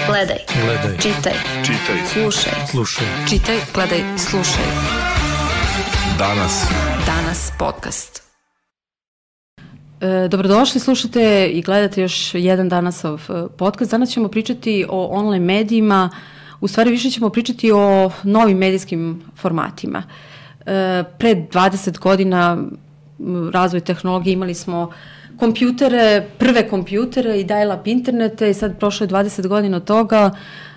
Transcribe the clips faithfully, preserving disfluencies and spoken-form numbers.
Gledaj. Gledaj. Čitaj. Čitaj. Slušaj. Slušaj. Čitaj, gledaj, slušaj. Danas. Danas podcast. E, dobrodošli, slušate i gledate još jedan Danasov podcast. Danas ćemo pričati o online medijima, u stvari više ćemo pričati o novim medijskim formatima. E, pre dvadeset godina razvoj tehnologije imali smo kompjutere, prve kompjutere i dial-up internete i sad prošlo je dvadeset godina od toga.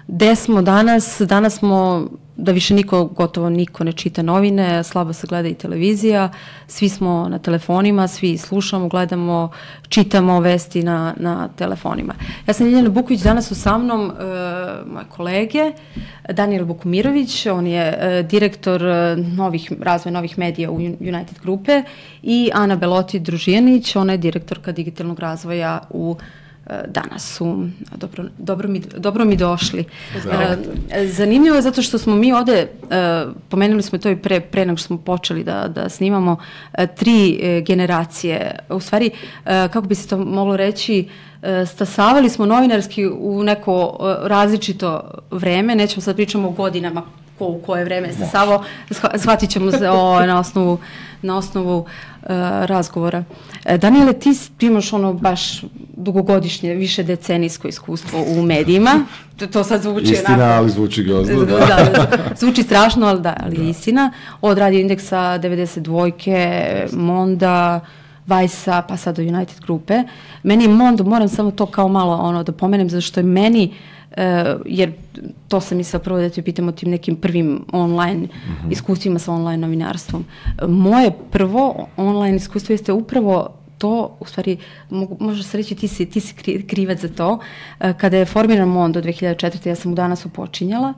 Gde smo danas? Danas smo, da više niko, gotovo niko ne čita novine, slabo se gleda i televizija, svi smo na telefonima, svi slušamo, gledamo, čitamo vesti na, na telefonima. Ja sam Ljiljana Buković, danas su sa mnom e, moje kolege, Danijel Bukumirović, on je e, direktor novih, razvoja novih medija u United grupe, i Ana Beloti Družijanić, ona je direktorka digitalnog razvoja u Danas su. Dobro, dobro, mi, dobro mi došli. Zdravo. Zanimljivo je zato što smo mi ovde, pomenuli smo to i pre, pre nego što smo počeli da, da snimamo, tri generacije. U stvari, kako bi se to moglo reći, stasavali smo novinarski u neko različito vreme, nećemo sad pričamo o godinama ko u koje vreme stasavao, shvatit ćemo se o, na osnovu, na osnovu uh, razgovora. Danijele, ti imaš ono baš dugogodišnje, više decenijsko iskustvo u medijima. To, to sad zvuči istina, onako, ali zvuči grozno, da. da. Zvuči strašno, ali da, ali je istina. Od Radio Indeksa, devedeset dvojke, Monda, Vajsa, pa sad do United grupe. Meni je Mondo, moram samo to kao malo ono da pomenem, zato što je meni, uh, jer to sam mislila prvo da te pitam o tim nekim prvim online mm-hmm. iskustvima sa online novinarstvom. Moje prvo online iskustvo jeste upravo to, u stvari, mogu, može se reći ti si, ti si krivac za to. Uh, kada je formiran Mondo dve hiljade četvrte. ja sam u Danasu počinjala.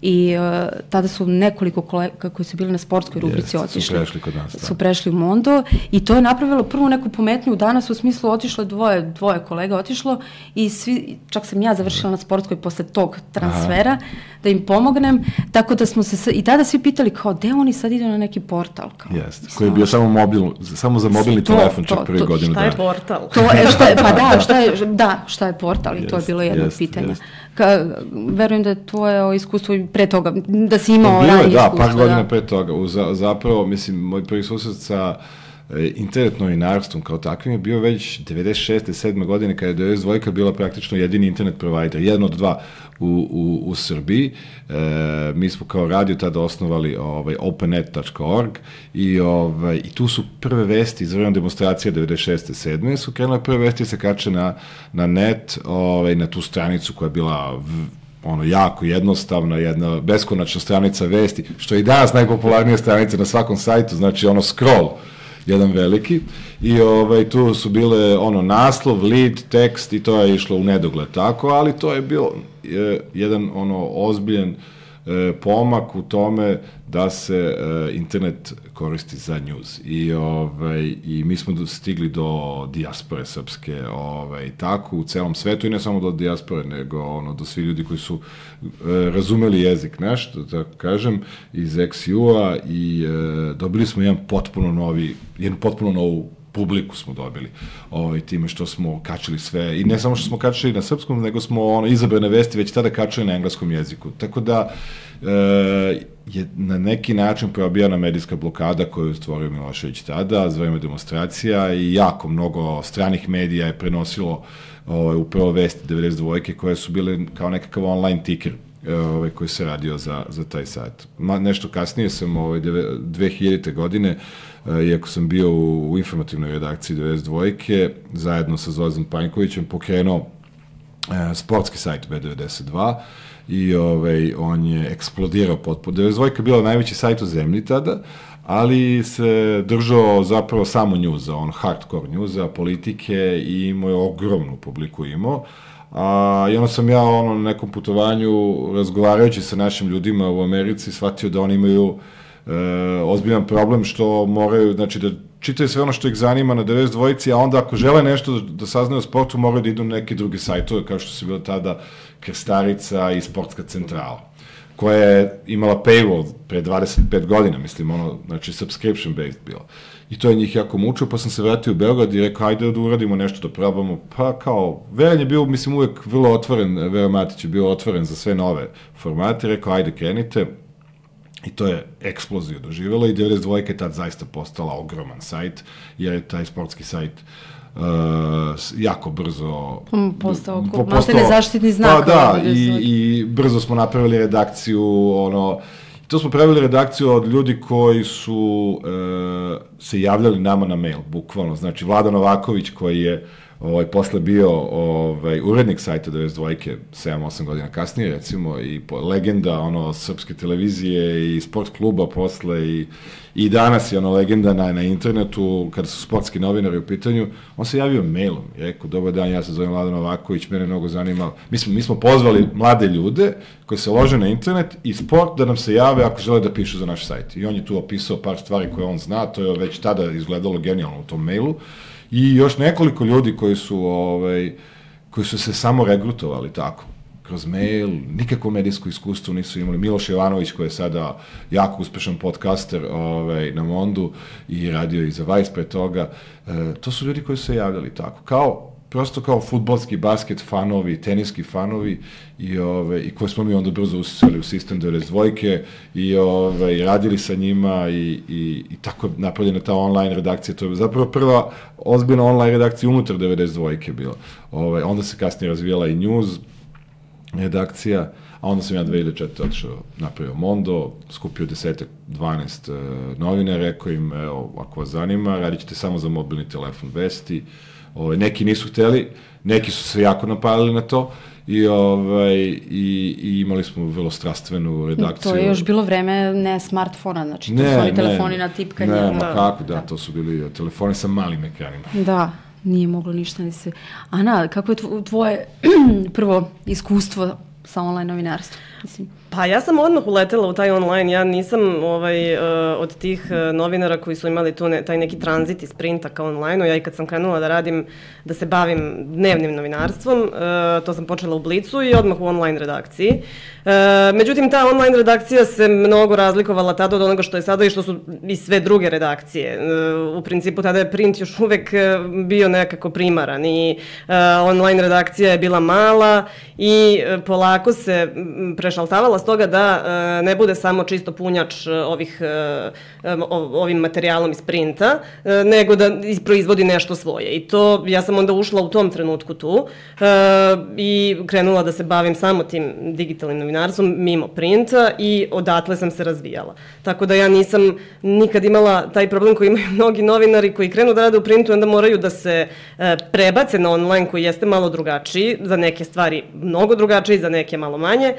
I uh, tada su nekoliko kolega koji su bili na sportskoj rubrici yes, otišli. Su prešli kod nas. Da. Su prešli u Mondo i to je napravilo prvu neku pometnju u Danas, u smislu otišlo dvoje, dvoje kolega otišlo i svi, čak sam ja završila na sportskoj posle tog transfera, aha, da im pomognem, tako da smo se, i tada svi pitali kao, gde oni sad idu na neki portal? Jeste, koji je bio samo mobil, samo za mobilni to, telefon, čak prvi godinu dana. Šta je portal? To je, šta je, pa da, šta je, da, šta je portal? I yes, to je bilo jedno yes, pitanje. Yes. Ka, verujem da je tvoje iskustvo i pre toga, da si imao ranije iskustvo. Da, par godina da. pre toga. U, zapravo, mislim, moj prvi susret sa e, internet novinarstvom kao takvim je bio već devedeset šeste sedme godine, kada je devedeset dvojka bila praktično jedini internet provider, jedno od dva u, u, u Srbiji. E, mi smo kao radio tada osnovali ovaj, opennet tačka org i, ovaj, i tu su prve vesti iz vremena demonstracija devedeset šeste sedme su krenule prve vesti se kače na, na net, ovaj, na tu stranicu koja je bila v, ono, jako jednostavna, jedna beskonačna stranica vesti, što je i danas najpopularnija stranica na svakom sajtu, znači ono scroll, jedan veliki, i ovaj, tu su bile ono naslov, lead, tekst i to je išlo u nedogled tako, ali to je bio je, jedan ono ozbiljen e, pomak u tome da se e, internet koristi za news. I, ovaj, i mi smo stigli do dijaspore srpske, ovaj, tako, u celom svetu i ne samo do dijaspore, nego ono, do svi ljudi koji su e, razumeli jezik naš, da tako kažem, iz eks ju-a i e, dobili smo jedan potpuno novi, jednu potpuno novu publiku smo dobili, ovaj, time što smo kačili sve, i ne samo što smo kačili na srpskom, nego smo ono, izabrane vesti već tada kačili na engleskom jeziku. Tako da e, je na neki način probijana medijska blokada koju je stvorio Milošević tada, za vreme demonstracija, i jako mnogo stranih medija je prenosilo ovaj, upravo vesti devedeset dvojke koje su bile kao nekakav online ticker ovaj, koji se radio za, za taj sajt. Ma, nešto kasnije sam ovaj, dve hiljadite godine, iako sam bio u, u informativnoj redakciji devedeset dvojke, zajedno sa Zolazom Panjkovićem pokrenuo e, sportski sajt be devedeset dva i ovaj, on je eksplodirao potpuno. devedeset dvojka je bila najveći sajt u zemlji tada, ali se držao zapravo samo njuza, on hardcore njuza, politike, i imao je ogromnu publiku imao. A, I onda sam ja ono, na nekom putovanju, razgovarajući sa našim ljudima u Americi, shvatio da oni imaju e, ozbiljan problem što moraju, znači da čitaju sve ono što ih zanima na devedeset dvojci, a onda ako žele nešto da, da saznaju o sportu, moraju da idu na neke druge sajtove, kao što su bilo tada Krstarica i Sportska centrala. koja je imala paywall pre dvadeset pet godina, mislim, ono, znači, subscription based bilo. I to je njih jako mučio, pa sam se vratio u Beograd i rekao, ajde da uradimo nešto, da probamo. Pa kao, Veran je bio, mislim, uvek vrlo otvoren, Veran Matić je bio otvoren za sve nove formate, rekao, ajde, krenite. I to je eksploziju doživjela i devedeset dva je tad zaista postala ogroman sajt, jer je taj sportski sajt uh, jako brzo... Postao, po, postao nezaštitni znak. Pa da, i, i brzo smo napravili redakciju, ono... To smo pravili redakciju od ljudi koji su e, se javljali nama na mail, bukvalno. Znači, Vlada Novaković, koji je ovaj, posle bio ovaj, urednik sajta devedeset dva, sedam osam godina kasnije, recimo, i po, legenda ono, srpske televizije i sport kluba posle, i, i danas je ono legenda na, na internetu, kada su sportski novinari u pitanju, on se javio mailom i rekao, dobar dan, ja se zovem Vlada Novaković, mene mnogo zanima. Mi smo, mi smo pozvali mlade ljude koji se lože na internet i sport da nam se jave ako žele da pišu za naš sajt. I on je tu opisao par stvari koje on zna, to je već tada izgledalo genijalno u tom mailu. I još nekoliko ljudi koji su, ovaj, koji su se samo regrutovali tako, kroz mail, nikakvo medijsko iskustvo nisu imali. Miloš Jovanović, koji je sada jako uspešan podcaster ovaj, na Mondu i radio i za Vice pre toga, e, to su ljudi koji su se javljali tako, kao, prosto kao fudbalski, basket fanovi, teniski fanovi i, ove, i koje smo mi onda brzo usisali u sistem devedeset dva i ove, radili sa njima i, i, i tako napravljena ta online redakcija. To je zapravo prva ozbiljna online redakcija unutar devedeset dva bila. Ove, onda se kasnije razvijala i news redakcija, a onda sam ja dve hiljade četvrte otišao, napravio Mondo, skupio desetak, dvanaest uh, novina, rekao im, evo, ako vas zanima, radit ćete samo za mobilni telefon vesti. Ove, neki nisu hteli, neki su se jako napalili na to i, ovaj, i, i imali smo vrlo strastvenu redakciju. To je još bilo vreme ne smartfona, znači to ne, su oni telefoni na tipkanje. Ne, ma kako, da, to su bili telefoni sa malim ekranima. Da, nije moglo ništa ni se... Ana, kako je tvoje prvo iskustvo sa online novinarstvom? Mislim. Pa ja sam odmah uletela u taj online, ja nisam ovaj, uh, od tih uh, novinara koji su imali tu ne, taj neki tranzit iz printa ka online-u. Ja i kad sam krenula da radim, da se bavim dnevnim novinarstvom, uh, to sam počela u Blicu i odmah u online redakciji. Uh, međutim, ta online redakcija se mnogo razlikovala tada od onoga što je sada i što su i sve druge redakcije. Uh, u principu tada je print još uvek bio nekako primaran i uh, online redakcija je bila mala i uh, polako se prešaltavala s toga da e, ne bude samo čisto punjač ovih, e, ovim materijalom iz printa, e, nego da proizvodi nešto svoje. I to, ja sam onda ušla u tom trenutku tu e, i krenula da se bavim samo tim digitalnim novinarstvom mimo printa i odatle sam se razvijala. Tako da ja nisam nikad imala taj problem koji imaju mnogi novinari koji krenu da rade u printu i onda moraju da se e, prebace na online koji jeste malo drugačiji, za neke stvari mnogo drugačiji, za neke malo manje. E,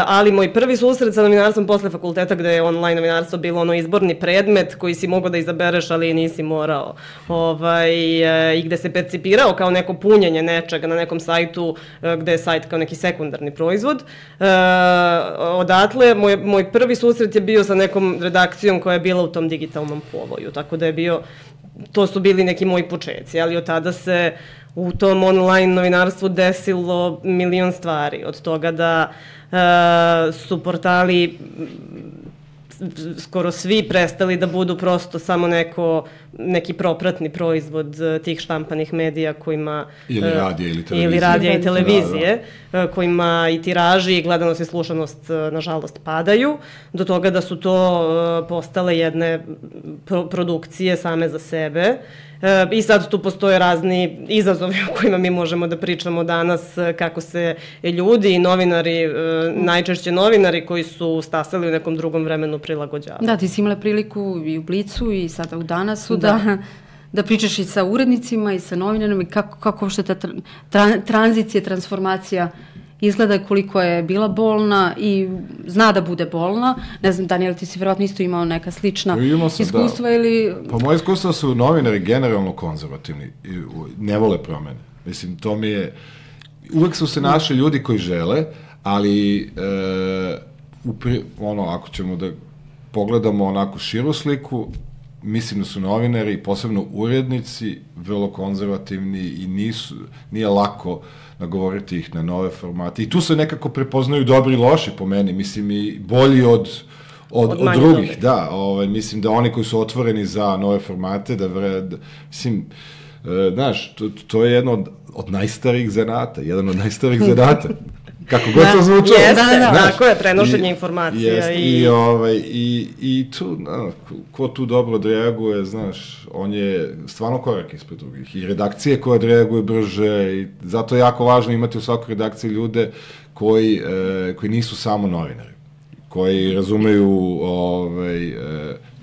ali moj prvi susret sa novinarstvom posle fakulteta gde je online novinarstvo bilo ono izborni predmet koji si mogao da izabereš, ali nisi morao. Ovaj, e, I gde se percipirao kao neko punjenje nečega na nekom sajtu e, gde je sajt kao neki sekundarni proizvod. E, odatle, moj, moj prvi susret je bio sa nekom redakcijom koja je bila u tom digitalnom povoju, tako da je bio, to su bili neki moji počeci, ali od tada se u tom online novinarstvu desilo milion stvari, od toga da e, su portali skoro svi prestali da budu prosto samo neko, neki propratni proizvod tih štampanih medija kojima... Ili radija ili televizije. Ili radija i televizije, da, da. Kojima i tiraži i gledanost i slušanost nažalost padaju, do toga da su to postale jedne pro- produkcije same za sebe. I sad tu postoje razni izazovi o kojima mi možemo da pričamo danas, kako se ljudi i novinari, najčešće novinari koji su stasali u nekom drugom vremenu prilagođavaju. Da, ti si imala priliku i u Blicu i sada u Danasu da, da, da pričaš i sa urednicima i sa novinarima i kako, kako uopšte ta tra, tranzicija, transformacija izgleda, koliko je bila bolna i zna da bude bolna. Ne znam, Daniel, ti si vjerojatno isto imao neka slična sam, iskustva da. ili... Pa moje iskustva su novinari generalno konzervativni i ne vole promene. Mislim, to mi je... Uvek su se našli ljudi koji žele, ali e, upri, ono, ako ćemo da pogledamo onako širu sliku, mislim da su novinari, posebno urednici, vrlo konzervativni i nisu, nije lako nagovoriti ih na nove formate. I tu se nekako prepoznaju dobri i loši po meni, mislim i bolji od, od, od, od drugih. Dobri. Da, ovaj, mislim da oni koji su otvoreni za nove formate, da, vre, da mislim, e, znaš, to, to je jedno od, od najstarijih zanata, jedan od najstarijih zanata. Kako god to zvučalo. Jeste, da, da, tako je, prenošenje informacija. Jest, i... I, ovaj, i, i tu, na, ko tu dobro odreaguje, znaš, on je stvarno korak ispred drugih. I redakcije koje odreaguje brže, i zato je jako važno imati u svakoj redakciji ljude koji, e, koji nisu samo novinari, koji razumeju ovaj, e,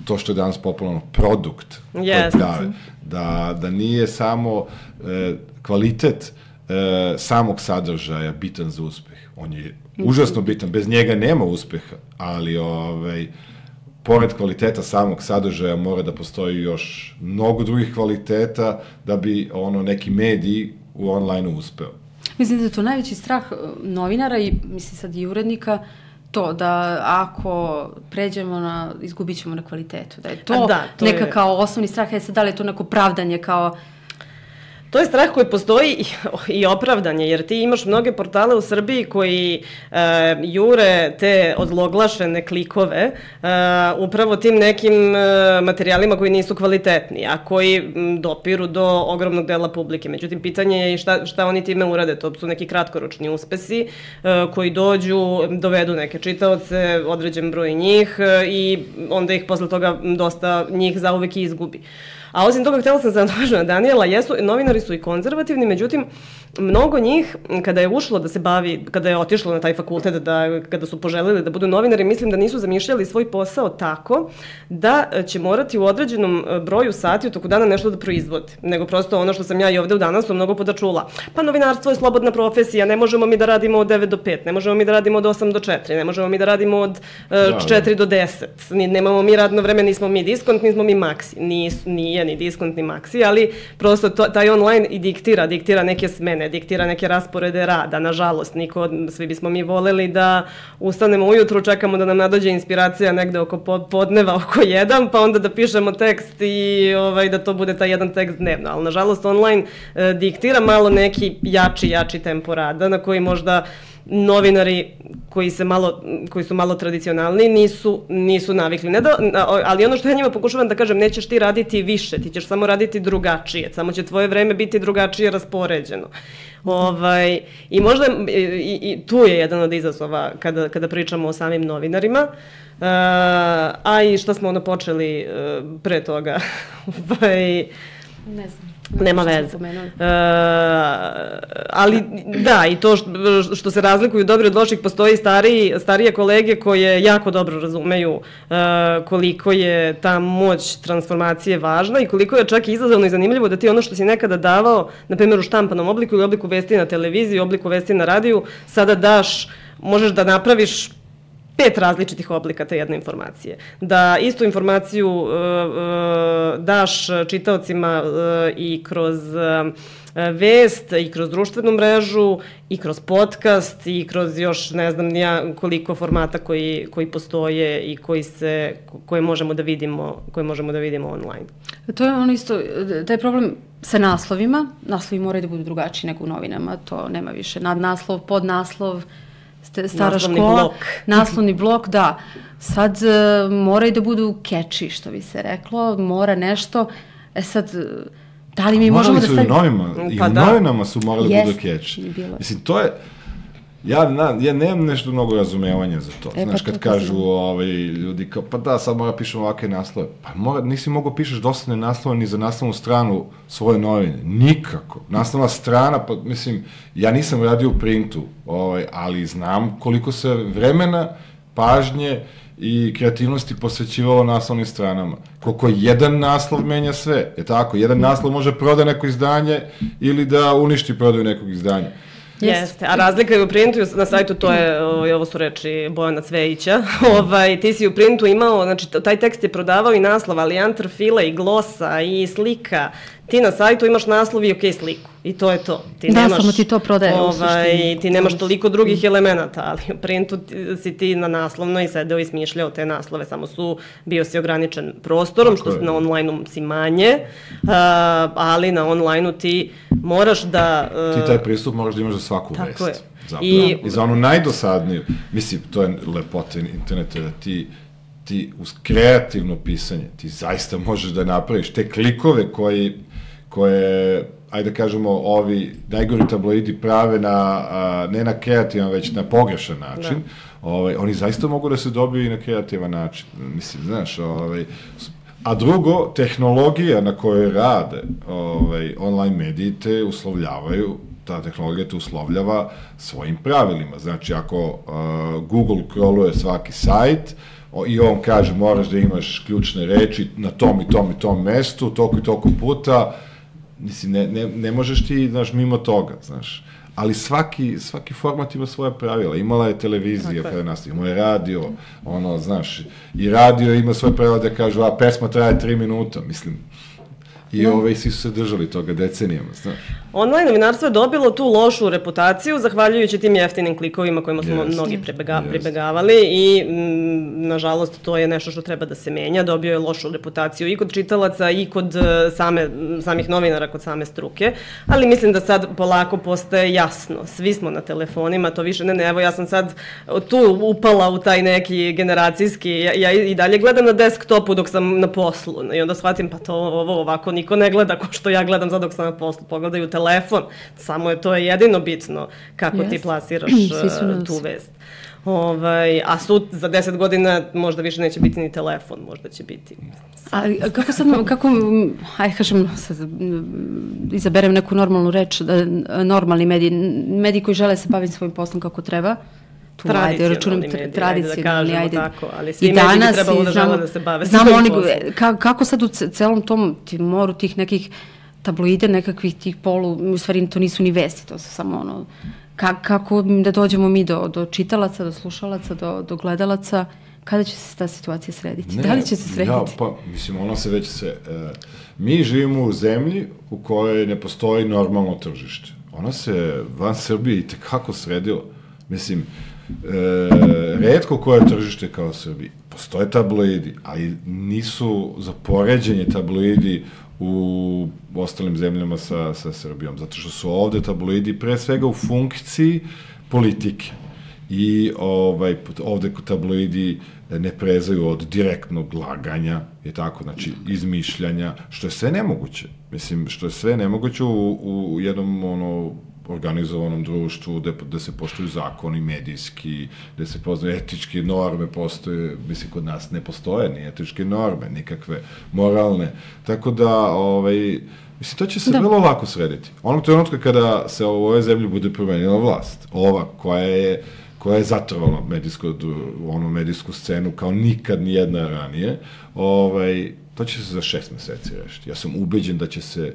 to što je danas popularno, produkt yes. koji prave. Da, da nije samo e, kvalitet e, samog sadržaja bitan za uspeh. On je užasno bitan, bez njega nema uspeha, ali ovaj, pored kvaliteta samog sadržaja mora da postoji još mnogo drugih kvaliteta da bi ono neki mediji u online-u uspeo. Mislim da je to najveći strah novinara i mislim sad i urednika, to da ako pređemo na, izgubit ćemo na kvalitetu. Da je to, da, to neka je... kao osnovni strah, je sad da li je to neko pravdanje kao... To je strah koji postoji i, i opravdanje, jer ti imaš mnoge portale u Srbiji koji e, jure te ozloglašene klikove e, upravo tim nekim e, materijalima koji nisu kvalitetni, a koji m, dopiru do ogromnog dela publike. Međutim, pitanje je šta, šta oni time urade. To su neki kratkoročni uspesi e, koji dođu, dovedu neke čitaoce, određen broj njih e, i onda ih posle toga dosta njih zauvek izgubi. A osim toga, htjela sam se nadovežiti na Danijela, jesu, novinari su i konzervativni, međutim, mnogo njih, kada je ušlo da se bavi, kada je otišlo na taj fakultet, da, kada su poželili da budu novinari, mislim da nisu zamišljali svoj posao tako da će morati u određenom broju sati u toku dana nešto da proizvode. Nego prosto ono što sam ja i ovde u Danasu mnogo puta čula. Pa novinarstvo je slobodna profesija, ne možemo mi da radimo od devet do pet, ne možemo mi da radimo od osam do četiri, ne možemo mi da radimo od uh, četiri do deset. Nemamo mi radno vreme, nismo mi diskont, nismo mi maksi. Nis, nije ni diskont ni maksi, ali prosto to, taj online i diktira, diktira neke smene, diktira neke rasporede rada. Nažalost, niko, svi bismo mi voleli da ustanemo ujutru, čekamo da nam nadođe inspiracija negde oko podneva, oko jedan, pa onda da pišemo tekst i ovaj, da to bude taj jedan tekst dnevno. Ali nažalost online e, diktira malo neki jači, jači tempo rada na koji možda novinari koji se malo koji su malo tradicionalni nisu nisu navikli. Ne da, ali ono što ja njima pokušavam da kažem, nećeš ti raditi više, ti ćeš samo raditi drugačije, samo će tvoje vreme biti drugačije raspoređeno. Ovaj, i možda i, i tu je jedan od izazova kada, kada pričamo o samim novinarima. Uh, a i šta smo ono počeli uh, pre toga? Ovaj, ne znam. Nema veze. Uh, ali da, i to što, što se razlikuju dobri od loših, postoji stariji, starije kolege koje jako dobro razumeju uh, koliko je ta moć transformacije važna i koliko je čak izazovno i zanimljivo da ti ono što si nekada davao, na primjer u štampanom obliku ili obliku vesti na televiziji, obliku vesti na radiju, sada daš, možeš da napraviš pet različitih oblika te jedne informacije. Da istu informaciju uh, uh, daš čitaocima uh, i kroz uh, vest, i kroz društvenu mrežu, i kroz podcast, i kroz još ne znam nija koliko formata koji, koji postoje i koji se, koje možemo da vidimo, koje možemo da vidimo online. To je ono isto, taj problem sa naslovima. Naslovi moraju da budu drugačiji nego u novinama, to nema više. Nadnaslov, podnaslov, stara naslovni škola, blok. naslovni blok, da. Sad uh, moraju da budu catchy, što bi se reklo, mora nešto. E sad, da li mi morali možemo da stavimo... Morali su i u novinama, pa i u da. novinama su morali da Jest, budu catchy. Bilo. Mislim, to je... Ja, na, ja nemam nešto mnogo razumevanja za to. E, Znaš, pa kad to kažu ovaj, ljudi kao, pa da, sad mora pišem ovakve naslove. Pa mora, nisi mogao pišeš dosadne naslove ni za naslovnu stranu svoje novine. Nikako. Naslovna strana, pa mislim, ja nisam radio u printu, ovaj, ali znam koliko se vremena, pažnje i kreativnosti posvećivalo naslovnim stranama. Koliko jedan naslov menja sve. Je tako? Jedan naslov može proda neko izdanje ili da uništi prodaju nekog izdanja. Jeste, a razlika je u printu na sajtu, to je, ovo su reči Bojana Cvejića, ovaj, ti si u printu imao, znači taj tekst je prodavao i naslov, ali i antrfila i glosa i slika, Ti na sajtu imaš naslov i ok sliku. I to je to. Ti da, nemaš, samo ti to prodaje ovaj, u suštini. Ti nemaš toliko drugih elemenata, ali u printu si ti na naslovno i sedeo i smišljao te naslove, samo su, bio si ograničen prostorom, što na online-u si manje, uh, ali na online-u ti moraš da... Uh, ti taj pristup moraš da imaš za svaku vest. Tako je. Zapravo. I, I za onu najdosadniju, mislim, to je lepota interneta, da ti ti uz kreativno pisanje, ti zaista možeš da napraviš te klikove koji, koje, ajde da kažemo, ovi najgori tabloidi prave na, a, ne na kreativan, već na pogrešan način, da. Ovaj, oni zaista mogu da se dobiju i na kreativan način. Mislim, znaš, ovaj, a drugo, tehnologija na kojoj rade ovaj, online mediji te uslovljavaju, ta tehnologija te uslovljava svojim pravilima. Znači, ako uh, Google kroluje svaki sajt, i on kaže moraš da imaš ključne reči na tom i tom i tom mestu, toliko i toliko puta, mislim, ne, ne, ne možeš ti, znaš, mimo toga, znaš. Ali svaki, svaki format ima svoje pravila. Imala je televizija kada nas, imao je radio, ono, znaš, i radio ima svoje pravila da kažu, a pesma traje tri minuta, mislim. I no. ove, svi su se držali toga decenijama, znaš. Online novinarstvo je dobilo tu lošu reputaciju zahvaljujući tim jeftinim klikovima kojima smo yes. mnogi prebega, yes. pribegavali i m, nažalost to je nešto što treba da se menja. Dobio je lošu reputaciju i kod čitalaca i kod same, samih novinara, kod same struke, ali mislim da sad polako postaje jasno. Svi smo na telefonima, to više ne, ne, evo ja sam sad tu upala u taj neki generacijski, ja, ja i dalje gledam na desktopu dok sam na poslu i onda shvatim pa to ovo ovako niko ne gleda ko što ja gledam sad dok sam na poslu, pogledaju telefon, samo je to jedino bitno kako yes. ti plasiraš uh, tu vest. Ovaj, a sud za deset godina možda više neće biti ni telefon, možda će biti. A kako sad, kako, ajde kažem, sad, izaberem neku normalnu reč, da, normalni mediji, mediji koji žele se baviti svojim poslom kako treba, tu, ajde, računam, mediji, tradicionalni, ajde, ajde. Tako, ali svi mediji bi trebalo da žele da se bave svojim poslom. Ka, kako sad u celom tom moru tih nekih tabloide, nekakvih tih polu, u stvari to nisu ni vesti, to su samo ono, ka, kako da dođemo mi do, do čitalaca, do slušalaca, do, do gledalaca, kada će se ta situacija srediti? Ne, da li će se srediti? Ja, pa, mislim, ona se već se... E, mi živimo u zemlji u kojoj ne postoji normalno tržište. Ona se van Srbije i tekako sredila. Mislim, e, retko koje tržište kao Srbiji. Postoje tabloidi, ali nisu za poređenje tabloidi u ostalim zemljama sa, sa Srbijom, zato što su ovde tabloidi pre svega u funkciji politike i ovaj, ovde tabloidi ne prezaju od direktnog laganja, je tako, znači izmišljanja, što je sve nemoguće, mislim, što je sve nemoguće u, u jednom ono, organizovanom društvu, gde, gde se poštuju zakoni medijski, gde se poznaju etičke norme, postoje, mislim, kod nas ne postoje ni etičke norme, nikakve moralne, tako da, ovaj, mislim, to će se da. vrlo lako srediti. Onog trenutka kada se u ovoj zemlji bude promenila vlast, ova koja je koja je zatrvala medijsko, onu medijsku scenu kao nikad nijedna ranije, ovaj, to će se za šest meseci rešiti. Ja sam ubeđen da će se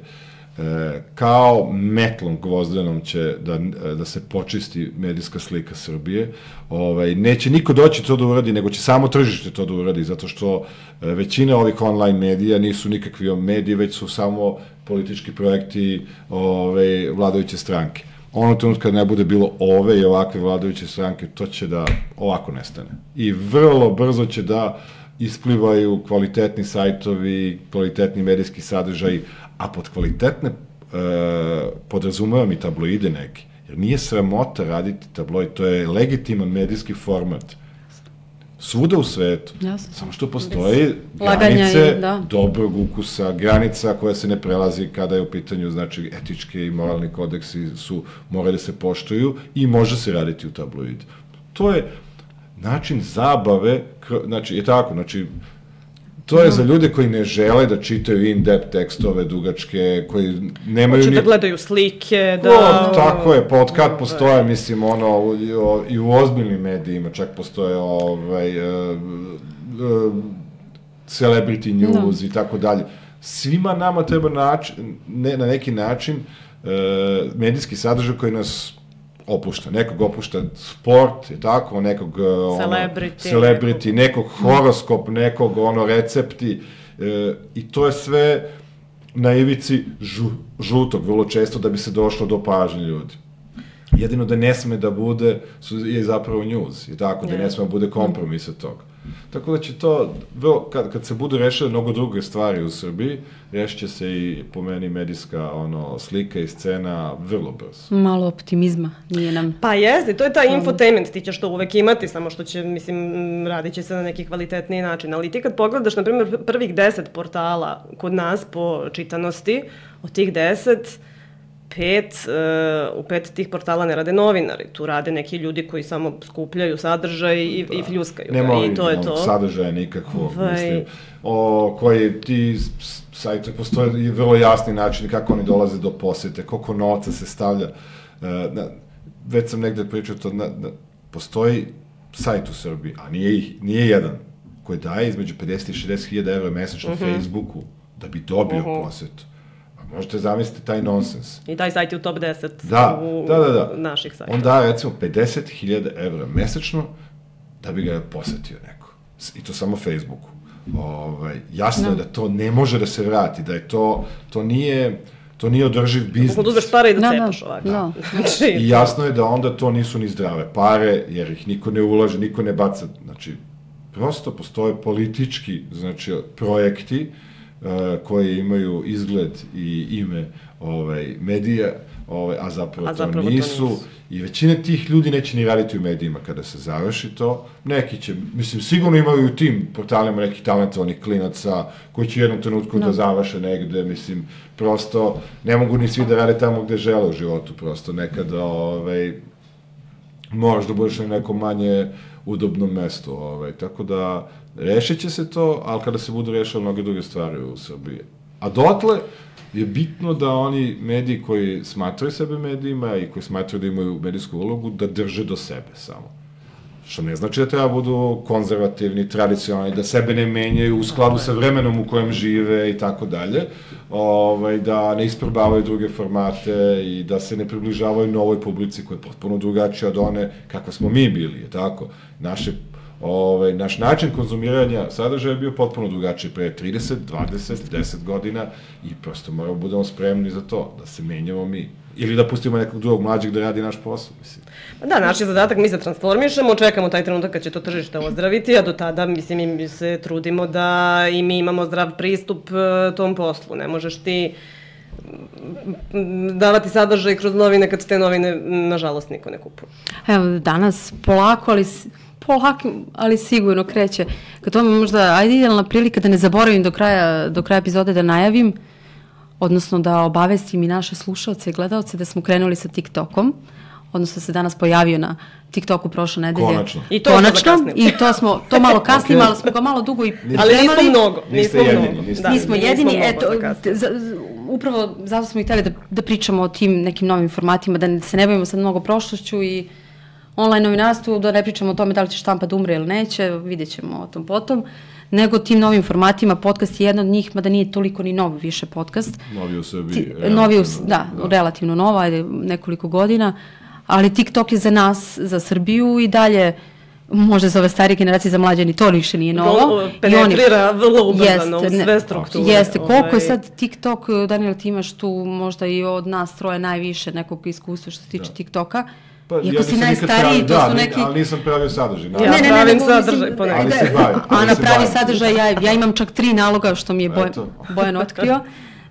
e, kao metlom gvozdenom će da, da se počisti medijska slika Srbije. Ovaj, neće niko doći to da uradi, nego će samo tržište to da uradi, zato što e, većina ovih online medija nisu nikakvi mediji, već su samo politički projekti ovaj, vladajuće stranke. Ono trenutka kad ne bude bilo ove i ovakve vladajuće stranke, to će da ovako nestane. I vrlo brzo će da isplivaju kvalitetni sajtovi, kvalitetni medijski sadržaj, a pod kvalitetne e, podrazumevam i tabloide neki. Jer nije sramota raditi tabloid, to je legitiman medijski format. Svuda u svetu. Jasno. Samo što postoji granice da. dobrog ukusa, granica koja se ne prelazi kada je u pitanju, znači, etičke i moralni kodeksi su, moraju da se poštuju i može se raditi u tabloidu. To je način zabave, znači, je tako, znači, to je za ljude koji ne žele da čitaju in-depth tekstove dugačke, koji nemaju... Hoće ni... da gledaju slike, da... O, tako je, pa od kad postoje, mislim, ono, i u ozbiljnim medijima čak postoje ovaj, uh, uh, celebrity news no. i tako dalje. Svima nama treba način, ne, na neki način uh, medijski sadržaj koji nas opušta. Nekog opušta sport, je tako, nekog celebrity, ono, celebrity nekog horoskop, nekog ono recepti e, i to je sve na ivici žu, žutog, vrlo često, da bi se došlo do pažnje ljudi. Jedino da ne sme da bude, su, je zapravo news, i tako, da ne sme da bude kompromis od toga. Tako da će to, kad, kad se budu rešile mnogo druge stvari u Srbiji, rešit će se i, po meni, medijska ono, slika i scena vrlo brzo. Malo optimizma, nije nam... Pa jeste, to je taj infotainment, ti ćeš to uvek imati, samo što će, mislim, radit će se na neki kvalitetniji način. Ali ti kad pogledaš, na primjer, prvih deset portala kod nas po čitanosti, od tih deset, pet, uh, u pet tih portala ne rade novinari, tu rade neki ljudi koji samo skupljaju sadržaj i, da. i fljuskaju Nema ga, i to je to. Sadržaja nikakvog, Vaj... mislim, o koji ti sajte, postoje i vrlo jasni načini kako oni dolaze do posete, koliko novca se stavlja. Uh, na, već sam negde pričao to, na, na, postoji sajt u Srbiji, a nije, nije jedan, koji daje između pedeset i šezdeset hiljada evra mesečno uh-huh. Facebooku da bi dobio uh-huh. posetu. Možete zamisliti taj nonsens. I taj sajt je u top deset da, u, da, da, da. naših sajta. On daje, recimo, pedeset hiljada evra mesečno da bi ga posetio neko. I to samo Facebooku. Ovaj, jasno no. je da to ne može da se vrati, da je to, to nije... To nije održiv biznis. Kako da uzmeš pare i da no, cepaš ovako. No. Znači, I jasno je da onda to nisu ni zdrave pare, jer ih niko ne ulaže, niko ne baca. Znači, prosto postoje politički, znači, projekti uh, koji imaju izgled i ime ovaj, medija, ovaj, a zapravo, a zapravo to, nisu. to nisu. I većina tih ljudi neće ni raditi u medijima kada se završi to. Neki će, mislim, sigurno imaju u tim portalima nekih talentovanih klinaca koji će u jednom trenutku no. da završe negde, mislim, prosto ne mogu ni svi da rade tamo gde žele u životu, prosto nekada, ovaj, moraš da budeš na nekom manje udobnom mestu, ovaj, tako da rešit će se to, ali kada se budu rešile mnoge druge stvari u Srbiji. A dotle je bitno da oni mediji koji smatraju sebe medijima i koji smatraju da imaju medijsku ulogu, da drže do sebe samo. Što ne znači da treba budu konzervativni, tradicionalni, da sebe ne menjaju u skladu sa vremenom u kojem žive i tako dalje, ovaj, da ne isprobavaju druge formate i da se ne približavaju novoj publici koja je potpuno drugačija od one kakva smo mi bili, je tako? Naše Ove, naš način konzumiranja sadržaja je bio potpuno drugačiji pre trideset, dvadeset, deset godina i prosto moramo budemo spremni za to, da se menjamo mi. Ili da pustimo nekog drugog mlađeg da radi naš posao, mislim. Da, naš je zadatak, mi se transformišemo, čekamo taj trenutak kad će to tržište ozdraviti, a do tada, mislim, mi se trudimo da i mi imamo zdrav pristup tom poslu. Ne možeš ti davati sadržaj kroz novine kad te novine, nažalost, niko ne kupuje. Evo, danas polako, ali... polako, ali sigurno kreće. Kad to možda, ajde idealna prilika da ne zaboravim do kraja, do kraja epizode da najavim, odnosno da obavestim i naše slušalce i gledalce da smo krenuli sa TikTokom, odnosno se danas pojavio na TikToku prošle nedelje. Konačno. I to Konačno, i to smo, to malo kasnimo, okay. ali smo ga malo dugo i pripremali. Ali nismo mnogo. Niste nismo jedini. Mnogo. Niste da, nismo jedini, nismo eto, za, upravo zato smo i hteli da, da pričamo o tim nekim novim formatima, da se ne bavimo sad mnogo prošlošću i online novinarstvu, da ne pričamo o tome da li će štampa da umre ili neće, vidjet ćemo o tom potom, nego tim novim formatima, podcast je jedan od njih, mada nije toliko ni nov više podcast. Novi u Srbiji. Ti, novi u, da, da, relativno nova, ajde nekoliko godina, ali TikTok je za nas, za Srbiju i dalje, možda za ove starije generacije, za mlađe ni to više nije novo. Penetrira vrlo ubrzano u sve strukture. Jeste, koliko je sad TikTok, Daniel, ti imaš tu možda i od nas troje najviše nekog iskustva što se tiče TikToka. Pa, iako ja si najstariji, to da, su neki... Da, ali nisam pravio sadržaj. Ja ne, ne, pravim ne, sadržaj, ponekad. Ali se bavim. Ana pravi sadržaj, ja, ja imam čak tri naloga što mi je Bojan, Bojan otkrio.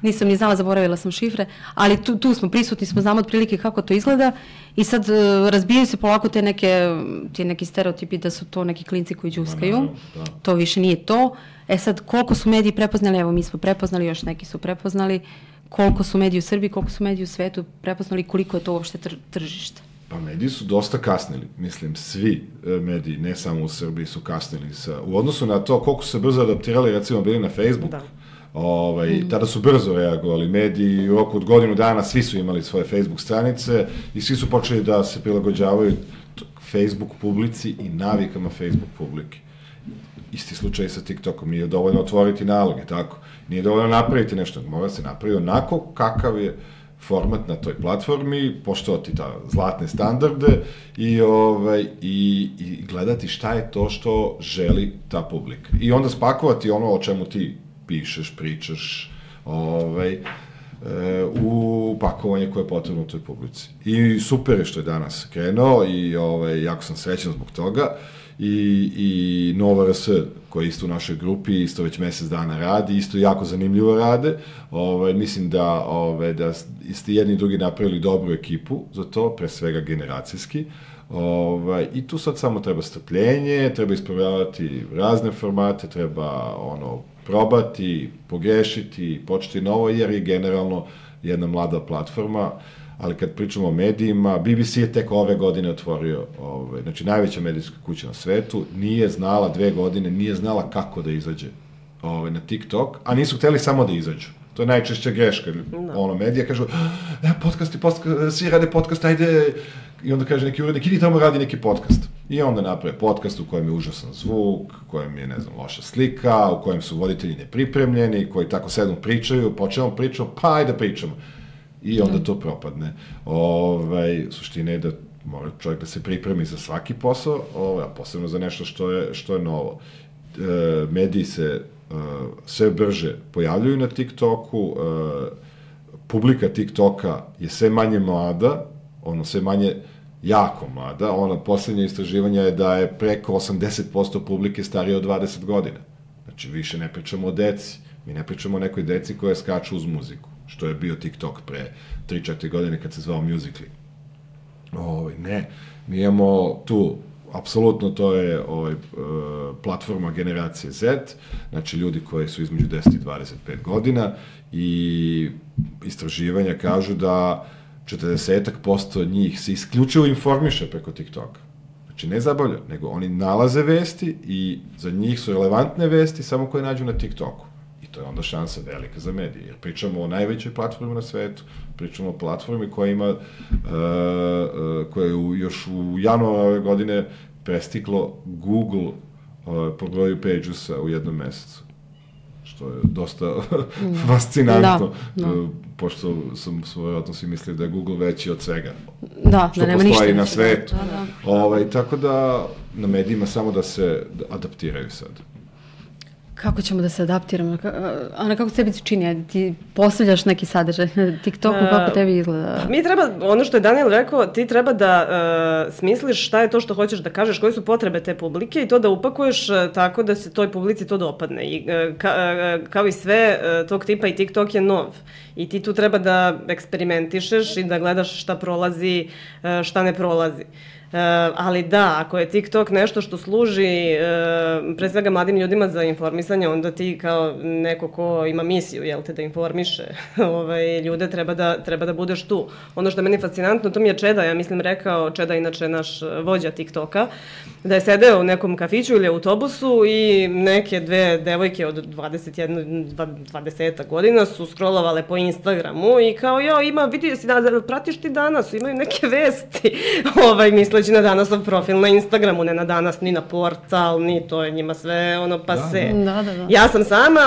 Nisam ni znala, zaboravila sam šifre, ali tu, tu smo prisutni, smo znamo otprilike kako to izgleda i sad uh, razbijaju se polako te neke, te neki stereotipi da su to neki klinci koji džuskaju. Da, da. To više nije to. E sad, koliko su mediji prepoznali, evo mi smo prepoznali, još neki su prepoznali, koliko su mediji u Srbiji, koliko su mediji u svetu prepoznali, koliko je to uopšte tr tržište. Pa mediji su dosta kasnili, mislim, svi mediji, ne samo u Srbiji, su kasnili sa, u odnosu na to koliko su se brzo adaptirali, recimo bili na Facebook, da. Ovaj, mm. tada su brzo reagovali mediji, u roku od godinu dana svi su imali svoje Facebook stranice i svi su počeli da se prilagođavaju Facebook publici i navikama Facebook publike. Isti slučaj sa TikTokom, nije dovoljno otvoriti naloge, tako, nije dovoljno napraviti nešto, mora se napraviti onako kakav je format na toj platformi, poštovati ta zlatne standarde i, ovaj, i, i gledati šta je to što želi ta publika. I onda spakovati ono o čemu ti pišeš, pričaš, ovaj, e, u pakovanje koje je potrebno u toj publici. I super je što je danas krenuo i ovaj, jako sam srećan zbog toga. I, i Nova R S, koja je isto u našoj grupi, isto već mesec dana radi, isto jako zanimljivo rade. Ove, mislim da, ove, da ste jedni i drugi napravili dobru ekipu za to, pre svega generacijski. Ove, I tu sad samo treba strpljenje, treba ispravljavati razne formate, treba ono, probati, pogrešiti, početi novo, jer je generalno jedna mlada platforma. Ali kad pričamo o medijima, B B C je tek ove godine otvorio, ovaj, znači najveća medijska kuća na svetu, nije znala dve godine, nije znala kako da izađe ovaj, na TikTok, a nisu hteli samo da izađu. To je najčešća greška. No. Ono, medija kažu, e, podcasti, podcast, svi rade podcast, ajde, i onda kaže neki urednik, idi tamo radi neki podcast. I onda naprave podcast u kojem je užasan zvuk, u kojem je, ne znam, loša slika, u kojem su voditelji nepripremljeni, koji tako sedom pričaju, po čemu pričamo, pa ajde pričamo. I onda to propadne. Ovaj, suština je da mora čovjek da se pripremi za svaki posao, ovaj, a posebno za nešto što je, što je novo. E, mediji se e, sve brže pojavljuju na TikToku, e, publika TikToka je sve manje mlada, ono sve manje jako mlada, ono poslednje istraživanje je da je preko osamdeset posto publike starije od dvadeset godina. Znači, više ne pričamo o deci, mi ne pričamo o nekoj deci koja skaču uz muziku, što je bio TikTok pre tri četiri godine kad se zvao Musical.ly. Ovaj, ne, mi imamo tu, apsolutno to je ovaj, platforma generacije Z, znači ljudi koji su između deset i dvadeset pet godina i istraživanja kažu da četrdeset posto njih se isključivo informiše preko TikToka. Znači ne zabavlja, nego oni nalaze vesti i za njih su relevantne vesti samo koje nađu na TikToku. To je onda šansa velika za medije, jer pričamo o najvećoj platformi na svetu, pričamo o platformi koja ima, uh, uh, koja je u, još u januaru ove godine prestiglo Google uh, po broju page-usa u jednom mesecu, što je dosta fascinantno, da, da. Pošto sam vjerojatno svi mislili da je Google veći od svega, da, što da postoji na svetu. Da, da. Ovaj, tako da na medijima samo da se adaptiraju sad. Kako ćemo da se adaptiramo? Ana, kako sebi ti čini? Ti postavljaš neki sadržaj na TikToku, kako tebi izgleda? Mi treba, ono što je Daniel rekao, ti treba da uh, smisliš šta je to što hoćeš da kažeš, koje su potrebe te publike i to da upakuješ uh, tako da se toj publici to dopadne. I, uh, ka, uh, kao i sve uh, tog tipa i TikTok je nov. I ti tu treba da eksperimentišeš i da gledaš šta prolazi, uh, šta ne prolazi. Uh, ali da, ako je TikTok nešto što služi uh, pre svega mladim ljudima za informisanje, onda ti kao neko ko ima misiju, jel te, da informiše ovaj, ljude, treba da, treba da budeš tu. Ono što je meni fascinantno, to mi je Čeda, ja mislim rekao, Čeda inače naš vođa TikToka, da je sedeo u nekom kafiću ili autobusu i neke dve devojke od dvadeset jedna, dvadeset godina su scrollovale po Instagramu i kao, jo, ima, vidi, si, da, pratiš ti danas, imaju neke vesti, ovaj, misle na Danasov profil na Instagramu, ne na Danas, ni na portal, ni to je njima sve ono pase. Da, da, da. Ja sam sama,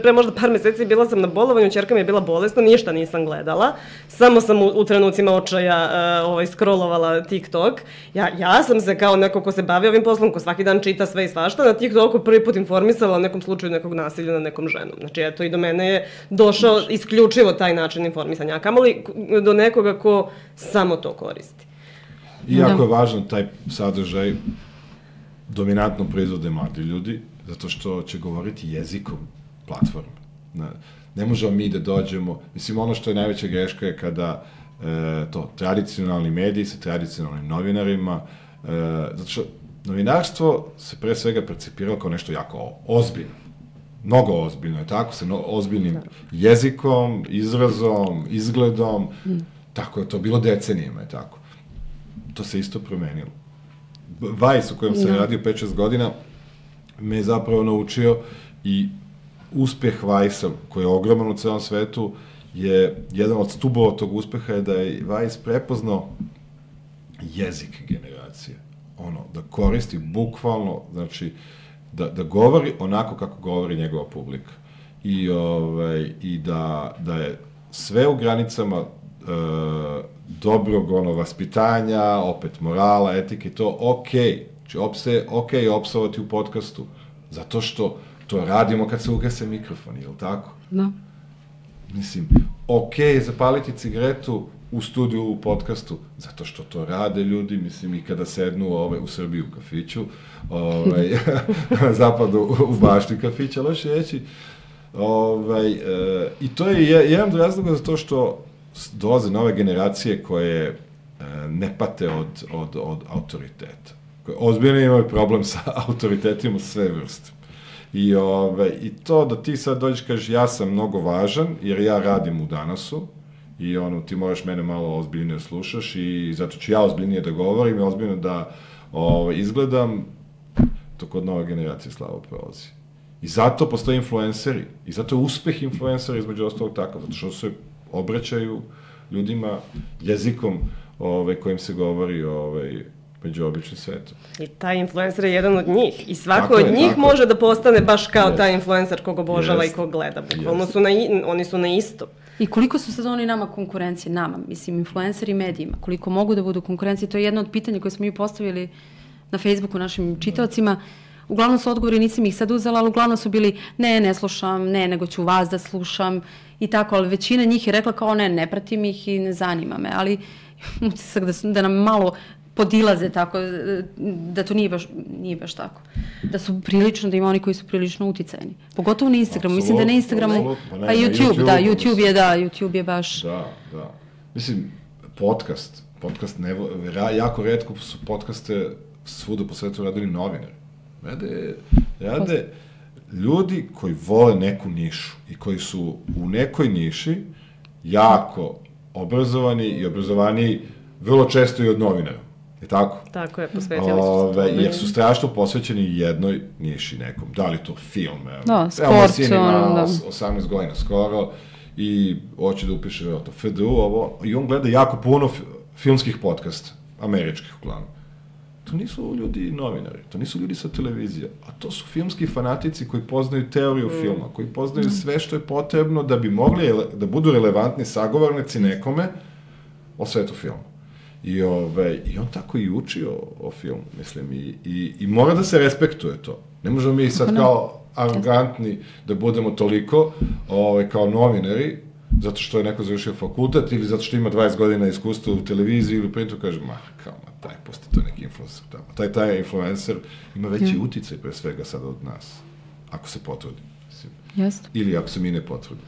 pre možda par meseci bila sam na bolovanju, ćerka mi je bila bolesna, ništa nisam gledala, samo sam u, u trenucima očaja uh, ovaj, scrollovala TikTok. Ja, ja sam se kao neko ko se bavi ovim poslom, ko svaki dan čita sve i svašta, na TikToku prvi put informisala o nekom slučaju nekog nasilja na nekom ženom. Znači, eto, i do mene je došao isključivo taj način informisanja, a kamoli do nekoga ko samo to koristi. Iako je važan taj sadržaj, dominantno proizvode mladi ljudi, zato što će govoriti jezikom platforme. Ne, ne možemo mi da dođemo, mislim, ono što je najveća greška je kada e, to, tradicionalni mediji sa tradicionalnim novinarima, e, zato što novinarstvo se pre svega percipiralo kao nešto jako ozbiljno. Mnogo ozbiljno je tako, sa no, ozbiljnim jezikom, izrazom, izgledom, mm. tako je to bilo decenijama, je tako. To se isto promenilo. Vice, u kojem sam no. radio pet šest godina, me je zapravo naučio i uspeh Vice-a, koji je ogroman u celom svetu, je jedan od stubova tog uspeha je da je Vice prepoznao jezik generacije. Ono, da koristi bukvalno, znači, da, da govori onako kako govori njegova publika. I, ovaj, i da, da je sve u granicama e, dobrog ono, vaspitanja, opet morala, etike, to okej. Znači, opse, okej je opsovati u podcastu, zato što to radimo kad se ugase mikrofon, je li tako? Da. mislim, okej je zapaliti cigaretu u studiju, u podcastu, zato što to rade ljudi, mislim, i kada sednu ove, u Srbiji u kafiću, ovaj, na zapadu u bašti kafića, loše reći. Ovaj, e, I to je jedan od razloga za to što dolaze nove generacije koje e, ne pate od, od, od autoriteta. Koje ozbiljno imaju problem sa autoritetima sve vrste. I, ove, I to da ti sad dođeš, kažeš, ja sam mnogo važan, jer ja radim u Danasu, i ono, ti moraš mene malo ozbiljnije slušaš, i zato ću ja ozbiljnije da govorim i ozbiljno da ove, izgledam, to kod nove generacije slabo prolazi. I zato postoje influenceri, i zato je uspeh influencera između ostalog takav, zato što se obraćaju ljudima jezikom ove, kojim se govori ove, među običnim svetom. I taj influencer je jedan od njih. I svako tako od je, njih tako. može da postane baš kao Yes. taj influencer kog obožava Yes. i kog gleda. Bukvalno su na, i- oni su na isto. I koliko su sad oni nama konkurencije, nama, mislim, influenceri medijima, koliko mogu da budu konkurencije, to je jedno od pitanja koje smo mi postavili na Facebooku našim čitaocima. Uglavnom su odgovori, nisam ih sad uzela, ali uglavnom su bili, ne, ne slušam, ne, nego ću vas da slušam i tako, ali većina njih je rekla kao, ne, ne pratim ih i ne zanima me, ali utisak da, su, da nam malo podilaze tako, da to nije baš, nije baš tako. Da su prilično, da ima oni koji su prilično uticajni. Pogotovo na Instagramu. Mislim da na Instagramu, Apsolutno, ne, pa na YouTube, YouTubeu, da, YouTube je, mislim. da, YouTube je baš... Da, da. Mislim, podcast, podcast ne, ra, jako retko su podcaste svuda po svetu radili novinari. Rade, rade ljudi koji vole neku nišu i koji su u nekoj niši jako obrazovani i obrazovaniji vrlo često i od novinara. Je tako? Tako je, posvetili su se Ove, tome. jer su strašno posvećeni jednoj niši nekom. Da li to film? Evo. Da, Evo, sport, moj sin ima ono, da. os- osamnaest godina skoro i hoće da upiše to F D U, ovo, i on gleda jako puno fi- filmskih podcasta, američkih uglavnom. To nisu ljudi novinari, to nisu ljudi sa televizije, a to su filmski fanatici koji poznaju teoriju mm. filma, koji poznaju mm. sve što je potrebno da bi mogli ele, da budu relevantni sagovornici nekome o svetu filma. I, ove, I on tako i uči o, o filmu, mislim, i, i, i mora da se respektuje to. Ne možemo mi sad kao arogantni da budemo toliko ove, kao novinari, zato što je neko završio fakultet ili zato što ima dvadeset godina iskustva u televiziji ili u printu, kaže, ma, kao, ma, taj pusti to neki influencer tamo. Taj, taj influencer ima veći mm. uticaj pre svega sada od nas, ako se potrudi. Mislim. Jeste. Ili ako se mi ne potrudi.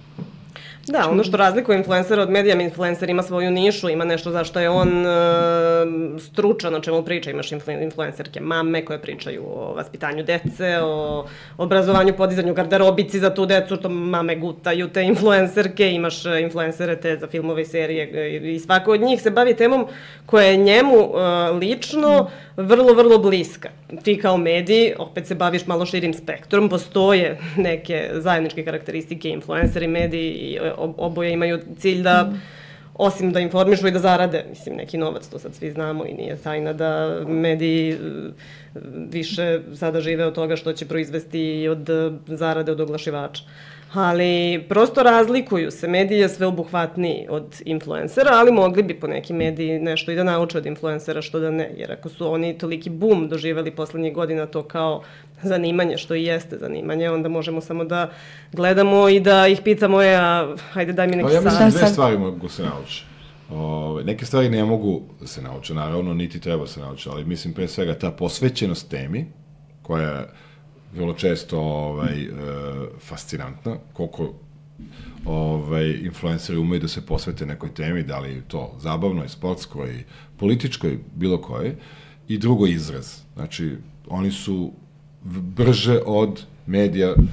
Da, ono što razlikuje influencera od medija, influencer ima svoju nišu, ima nešto za što je on e, stručan, o čemu priča. Imaš influ, influencerke mame koje pričaju o vaspitanju dece, o obrazovanju, podizanju garderobici za tu decu, što mame gutaju te influencerke, imaš influencere te za filmove i serije i svako od njih se bavi temom koja je njemu e, lično vrlo, vrlo bliska. Ti kao mediji opet se baviš malo širim spektrom, postoje neke zajedničke karakteristike, influenceri, mediji i oboje imaju cilj da, mm. osim da informišu i da zarade, mislim, neki novac, to sad svi znamo i nije tajna da mediji više sada žive od toga što će proizvesti i od zarade od oglašivača. Ali prosto razlikuju se, mediji je sveobuhvatniji od influencera, ali mogli bi po neki mediji nešto i da nauče od influencera, što da ne, jer ako su oni toliki boom doživeli poslednjih godina to kao zanimanje, što i jeste zanimanje, onda možemo samo da gledamo i da ih pitamo, e, a hajde daj mi neki Pa ja mislim savjet. dve stvari mogu se nauči. Ove, neke stvari ne mogu da se nauče, naravno, niti treba se nauči, ali mislim pre svega ta posvećenost temi, koja je vrlo često ovaj, e, fascinantna, koliko ovaj, influenceri umeju da se posvete nekoj temi, da li to zabavnoj, sportskoj, političkoj, bilo kojoj, i drugo izraz. Znači, oni su brže od medija uh,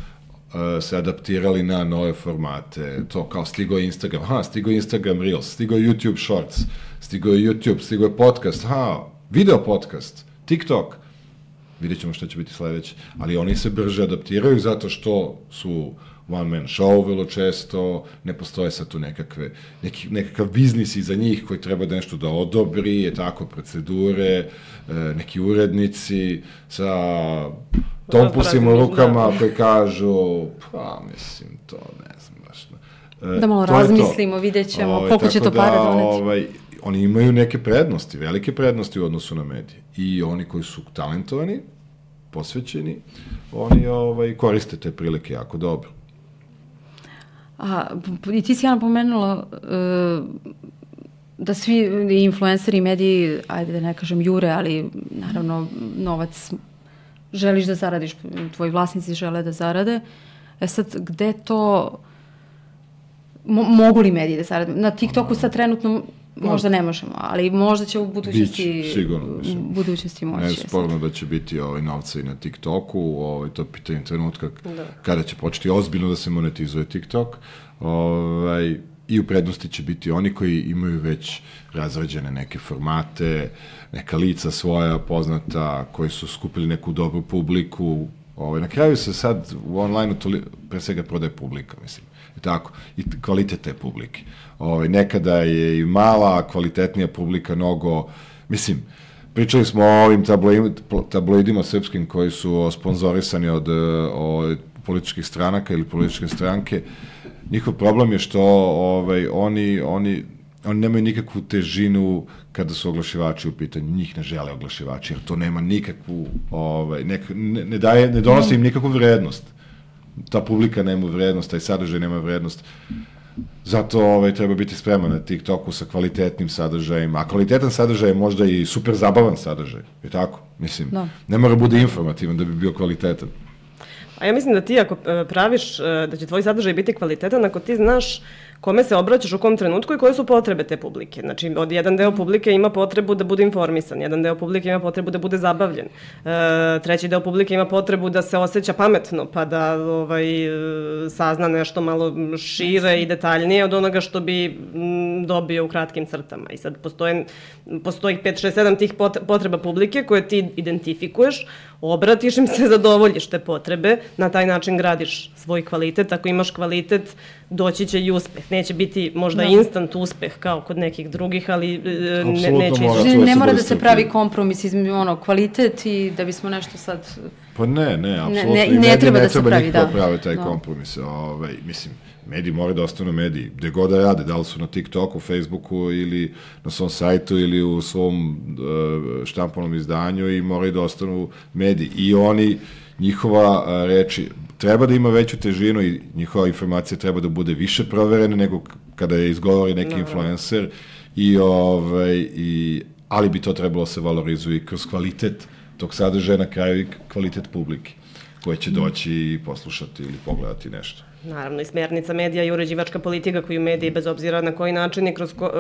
se adaptirali na nove formate, to kao stigo je Instagram, ha, stigo je Instagram Reels, stigo je YouTube Shorts, stigo je YouTube, stigo je podcast, ha, video podcast, TikTok, vidjet ćemo što će biti sledeće, ali oni se brže adaptiraju zato što su one man show vrlo često, ne postoje sad tu nekakve, neki, nekakav biznis iza njih koji treba da nešto da odobri, je tako, procedure, neki urednici sa tompusima u rukama koji kažu, pa mislim, to ne znam baš. Da malo razmislimo, vidjet ćemo ovaj, koliko će to da, pare doneti. Ovaj, oni imaju neke prednosti, velike prednosti u odnosu na medije. I oni koji su talentovani, posvećeni, oni ovaj, koriste te prilike jako dobro. A, i ti si ja napomenula uh, da svi influenceri i mediji, ajde da ne kažem jure, ali naravno novac želiš da zaradiš, tvoji vlasnici žele da zarade. E sad, gde to... Mo, mogu li mediji da zarade? Na TikToku sad trenutno možda ne možemo, ali možda će u budućnosti... Bić, sigurno, mislim. U budućnosti moći. Ne sporno da će biti ovaj, novca i na TikToku, ovaj, to pitanje trenutka da. Kada će početi ozbiljno da se monetizuje TikTok. Ovaj, I u prednosti će biti oni koji imaju već razrađene neke formate, neka lica svoja poznata, koji su skupili neku dobru publiku. Ovaj, na kraju se sad u online-u toli, pre svega prodaje publika, mislim. I tako, i kvalitet te publike. Ovaj, nekada je i mala, kvalitetnija publika mnogo, mislim, pričali smo o ovim tabloidima, tabloidima srpskim koji su sponzorisani od, od političkih stranaka ili političke stranke. Njihov problem je što ovaj, oni, oni, oni nemaju nikakvu težinu kada su oglašivači u pitanju. Njih ne žele oglašivači, jer to nema nikakvu, ovaj, nek, ne, ne, daje, ne donosi im nikakvu vrednost. Ta publika nema vrednost, taj sadržaj nema vrednost. Zato ovaj, treba biti spreman na TikToku sa kvalitetnim sadržajima. A kvalitetan sadržaj je možda i super zabavan sadržaj. Je tako? Mislim, no. Ne mora bude informativan da bi bio kvalitetan. A ja mislim da ti ako praviš da će tvoj sadržaj biti kvalitetan, ako ti znaš kome se obraćaš u kom trenutku i koje su potrebe te publike. Znači, od jedan deo publike ima potrebu da bude informisan, jedan deo publike ima potrebu da bude zabavljen, e, treći deo publike ima potrebu da se osjeća pametno, pa da ovaj, sazna nešto malo šire i detaljnije od onoga što bi m, dobio u kratkim crtama. I sad postoje, postoji pet, šest, sedam tih potreba publike koje ti identifikuješ, obratiš im se, zadovoljiš te potrebe, na taj način gradiš svoj kvalitet. Ako imaš kvalitet, doći će i uspeh. Neće biti možda no. instant uspeh kao kod nekih drugih, ali ne, neće ići. Ne, ne mora da se pravi kompromis između ono, kvalitet i da bismo nešto sad... Pa ne, ne, apsolutno. Ne, ne, ne treba da se pravi, da. Ne treba pravi taj no. kompromis. Ovaj, mislim, mediji moraju da ostanu mediji. Gde god da rade, da li su na TikToku, Facebooku ili na svom sajtu ili u svom uh, štampanom izdanju i moraju da ostanu mediji. I oni, njihova uh, reči, treba da ima veću težinu i njihova informacija treba da bude više proverena nego kada je izgovori neki no. influencer, i, ovaj, i, ali bi to trebalo se valorizuje kroz kvalitet tog sadržaja, na kraju i kvalitet publike koje će doći i poslušati ili pogledati nešto. Naravno, i smjernica medija i uređivačka politika koju mediji, bez obzira na koji način i kroz, ko,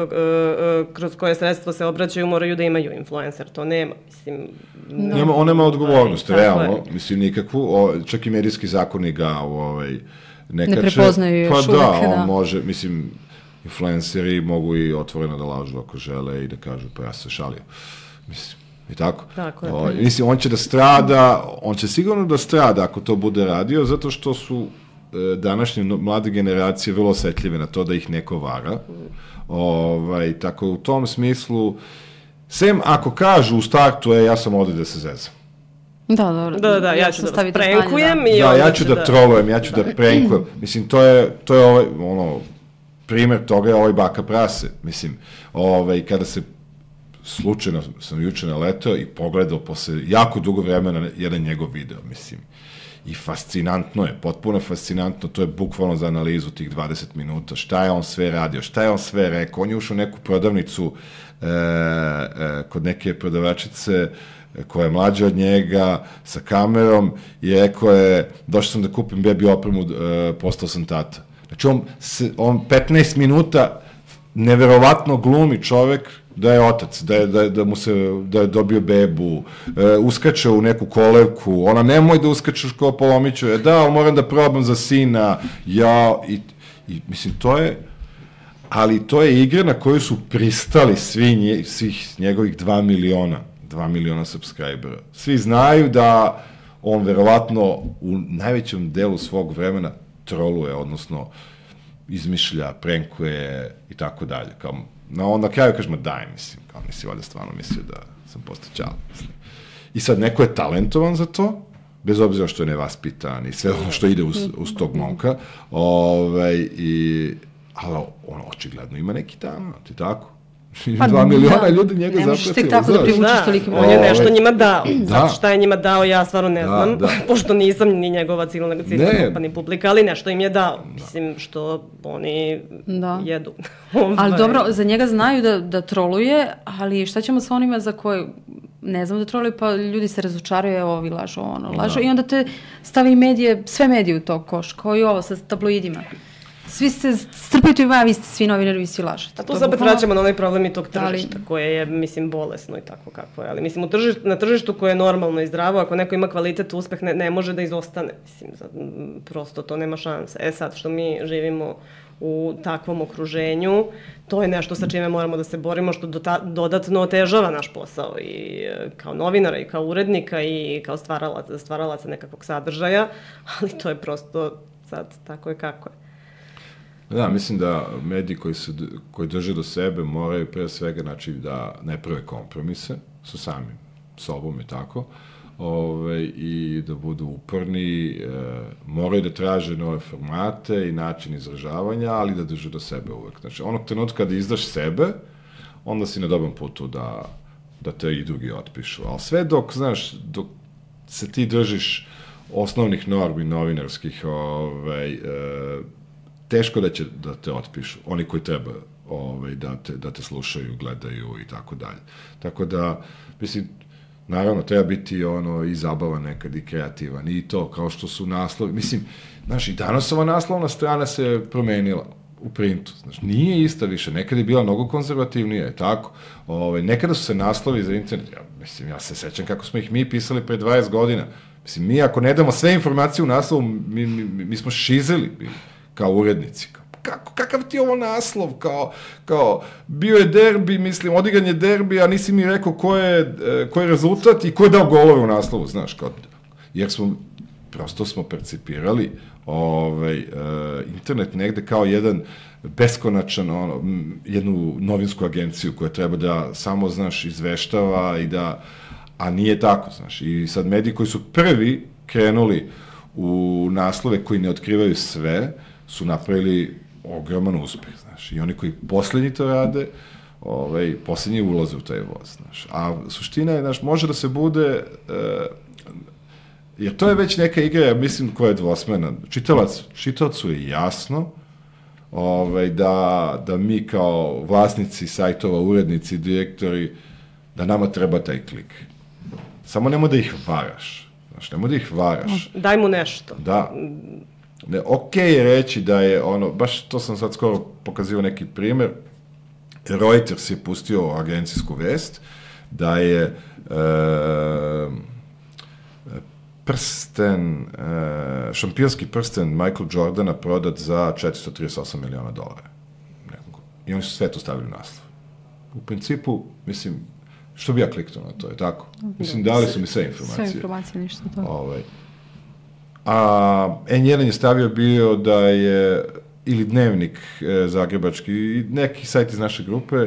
kroz koje sredstvo se obraćaju, moraju da imaju influencer. To nema, mislim... No. Nema, on nema odgovornost, realno, je. Mislim, nikakvu. O, čak i medijski zakoni ga ovaj, nekače. Ne prepoznaju još pa uvek, da. Pa da, on može, mislim, influenceri mogu i otvoreno da lažu ako žele i da kažu, pa ja se šalio. Mislim, i tako. Tako je. O, mislim, on će da strada, on će sigurno da strada ako to bude radio, zato što su današnje mlade generacije vrlo osetljive na to da ih neko vara. Ovaj, tako u tom smislu, sem ako kažu u startu, e, ja sam ovde da se zezam. Da, dobro. Da, da, ja ću da vas prankujem. Da, ja, ja ću da, da trolujem, ja ću da prankujem. Mislim, to je, to je ovaj, ono, primer toga je ovaj baka prase. Mislim, ovaj, kada se slučajno sam juče naletao i pogledao posle jako dugo vremena jedan njegov video, mislim. I fascinantno je, potpuno fascinantno, to je bukvalno za analizu tih dvadeset minuta, šta je on sve radio, šta je on sve rekao, on je ušao u neku prodavnicu e, e, kod neke prodavačice koja je mlađa od njega, sa kamerom, i rekao je, došao sam da kupim bebi opremu, e, postao sam tata. Znači on, on petnaest minuta neverovatno glumi čovek da je otac, da je, da, da mu se, da je dobio bebu, e, uskače u neku kolevku, ona nemoj da uskačeš ko Polomiću, e, da, ali moram da probam za sina, ja, i, i mislim, to je, ali to je igra na koju su pristali svi nje, svih njegovih dva miliona, dva miliona subscribera. Svi znaju da on verovatno u najvećem delu svog vremena troluje, odnosno izmišlja, prenkuje i tako dalje, kao no, onda kraju kažemo, daj, mislim, kao nisi valjda stvarno mislio da sam postao ćala, mislim. I sad, neko je talentovan za to, bez obzira što je nevaspitan i sve ono što ide uz, uz tog momka, ovaj, i, ali on očigledno ima neki talent, i tako. Pa, dva miliona da, ljudi njega zapratilo. Ne možeš tek tako da privučiš Da, toliki broj. on je nešto njima dao. Da. Sad šta je njima dao, ja stvarno ne Da, znam, da. pošto nisam ni njegova ciljna Ne. grupa, ni publika, ali nešto im je dao. Mislim, što oni Da. jedu. Ali Ovaj. dobro, za njega znaju da, da troluje, ali šta ćemo sa onima za koje ne znam da troluje, pa ljudi se razočaraju, evo ovi lažu, ono, lažu, i onda te stavi medije, sve medije u to koš, kao i ovo sa tabloidima. Svi se strpaju tu i va, vi ste svi novinari, vi svi lažete. A tu To se opet bukvalno- vraćamo na onaj problem i tog Da li- tržišta, koje je, mislim, bolesno i tako kako je. Ali, mislim, u tržištu, na tržištu koje je normalno i zdravo, ako neko ima kvalitet, uspeh ne, ne može da izostane. Mislim, za, m, prosto to nema šanse. E sad, što mi živimo u takvom okruženju, to je nešto sa čime moramo da se borimo, što dota, dodatno otežava naš posao i e, kao novinara i kao urednika i kao stvaralaca, stvaralaca nekakvog sadržaja, ali to je prosto sad tako je kako je. Da, mislim da mediji koji, se, koji drže do sebe moraju pre svega znači, da ne prave kompromise sa samim sobom i tako, ove, i da budu uporni, e, moraju da traže nove formate i način izražavanja, ali da drže do sebe uvek. Znači, onog trenutka kada izdaš sebe, onda si na dobrom putu da, da te i drugi otpišu. Ali sve dok, znaš, dok se ti držiš osnovnih normi novinarskih, ovaj, e, teško da će da te otpišu, oni koji treba ovaj, da, te, da te slušaju, gledaju i tako dalje. Tako da, mislim, naravno, treba biti ono i zabavan nekad i kreativan i to, kao što su naslovi. Mislim, znaš, i danas ova naslovna strana se promenila u printu. Znaš, nije ista više, nekad je bila mnogo konzervativnija, je tako? Ove, nekada su se naslovi za internet, ja, mislim, ja se sećam kako smo ih mi pisali pre dvadeset godina. Mislim, mi ako ne damo sve informacije u naslovu, mi, mi, mi smo šizeli bili kao urednici. Kako, kakav ti je ovo naslov? Kao, kao, bio je derbi, mislim, odigran je derbi, a nisi mi rekao ko je, ko je rezultat i ko je dao golove u naslovu, znaš, kao, jer smo, prosto smo percipirali ovaj, uh, internet negde kao jedan beskonačan, ono, jednu novinsku agenciju koja treba da samo, znaš, izveštava i da, a nije tako, znaš, i sad mediji koji su prvi krenuli u naslove koji ne otkrivaju sve, su napravili ogroman uspeh, znaš, i oni koji poslednji to rade, ovaj, poslednji ulaze u taj voz, znaš, a suština je, znaš, može da se bude, e, jer to je već neka igra, ja mislim, koja je dvosmerna, čitalac, čitaocu je jasno, ovaj, da, da mi kao vlasnici sajtova, urednici, direktori, da nama treba taj klik. Samo nemoj da ih varaš, znaš, nemoj da ih varaš. Daj mu nešto. Da. Ne, okej je reći da je ono, baš to sam sad skoro pokazio neki primer, Reuters je pustio agencijsku vest da je e, prsten, e, šampionski prsten Michael Jordana prodat za četiristo trideset osam miliona dolara. Nekako. I oni su sve to stavili u naslov. U principu, mislim, što bi ja kliknuo na to, je tako? Mislim, dali su mi sve informacije. Sve informacije, ništa to. Ovaj. A en jedan je stavio bio da je, ili dnevnik e, zagrebački, i neki sajt iz naše grupe,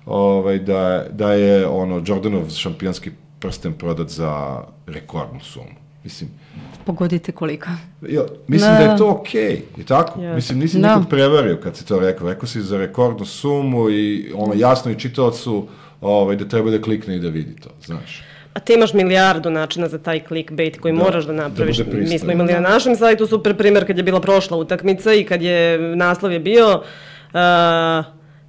ovaj, da, da je ono, Jordanov šampionski prsten prodat za rekordnu sumu. Mislim, Pogodite koliko. jo, mislim da. da je to okej, okay, je tako? Yeah. Mislim, nisi Da. nikog prevario kad si to rekao. Rekao si za rekordnu sumu i ono, jasno i čitaocu ovaj, da treba da klikne i da vidi to, znaš. A ti imaš milijardu načina za taj clickbait koji Da, moraš da da napraviš. bude pristojan. Mi smo imali na našem sajtu super primjer kad je bila prošla utakmica i kad je naslov je bio uh,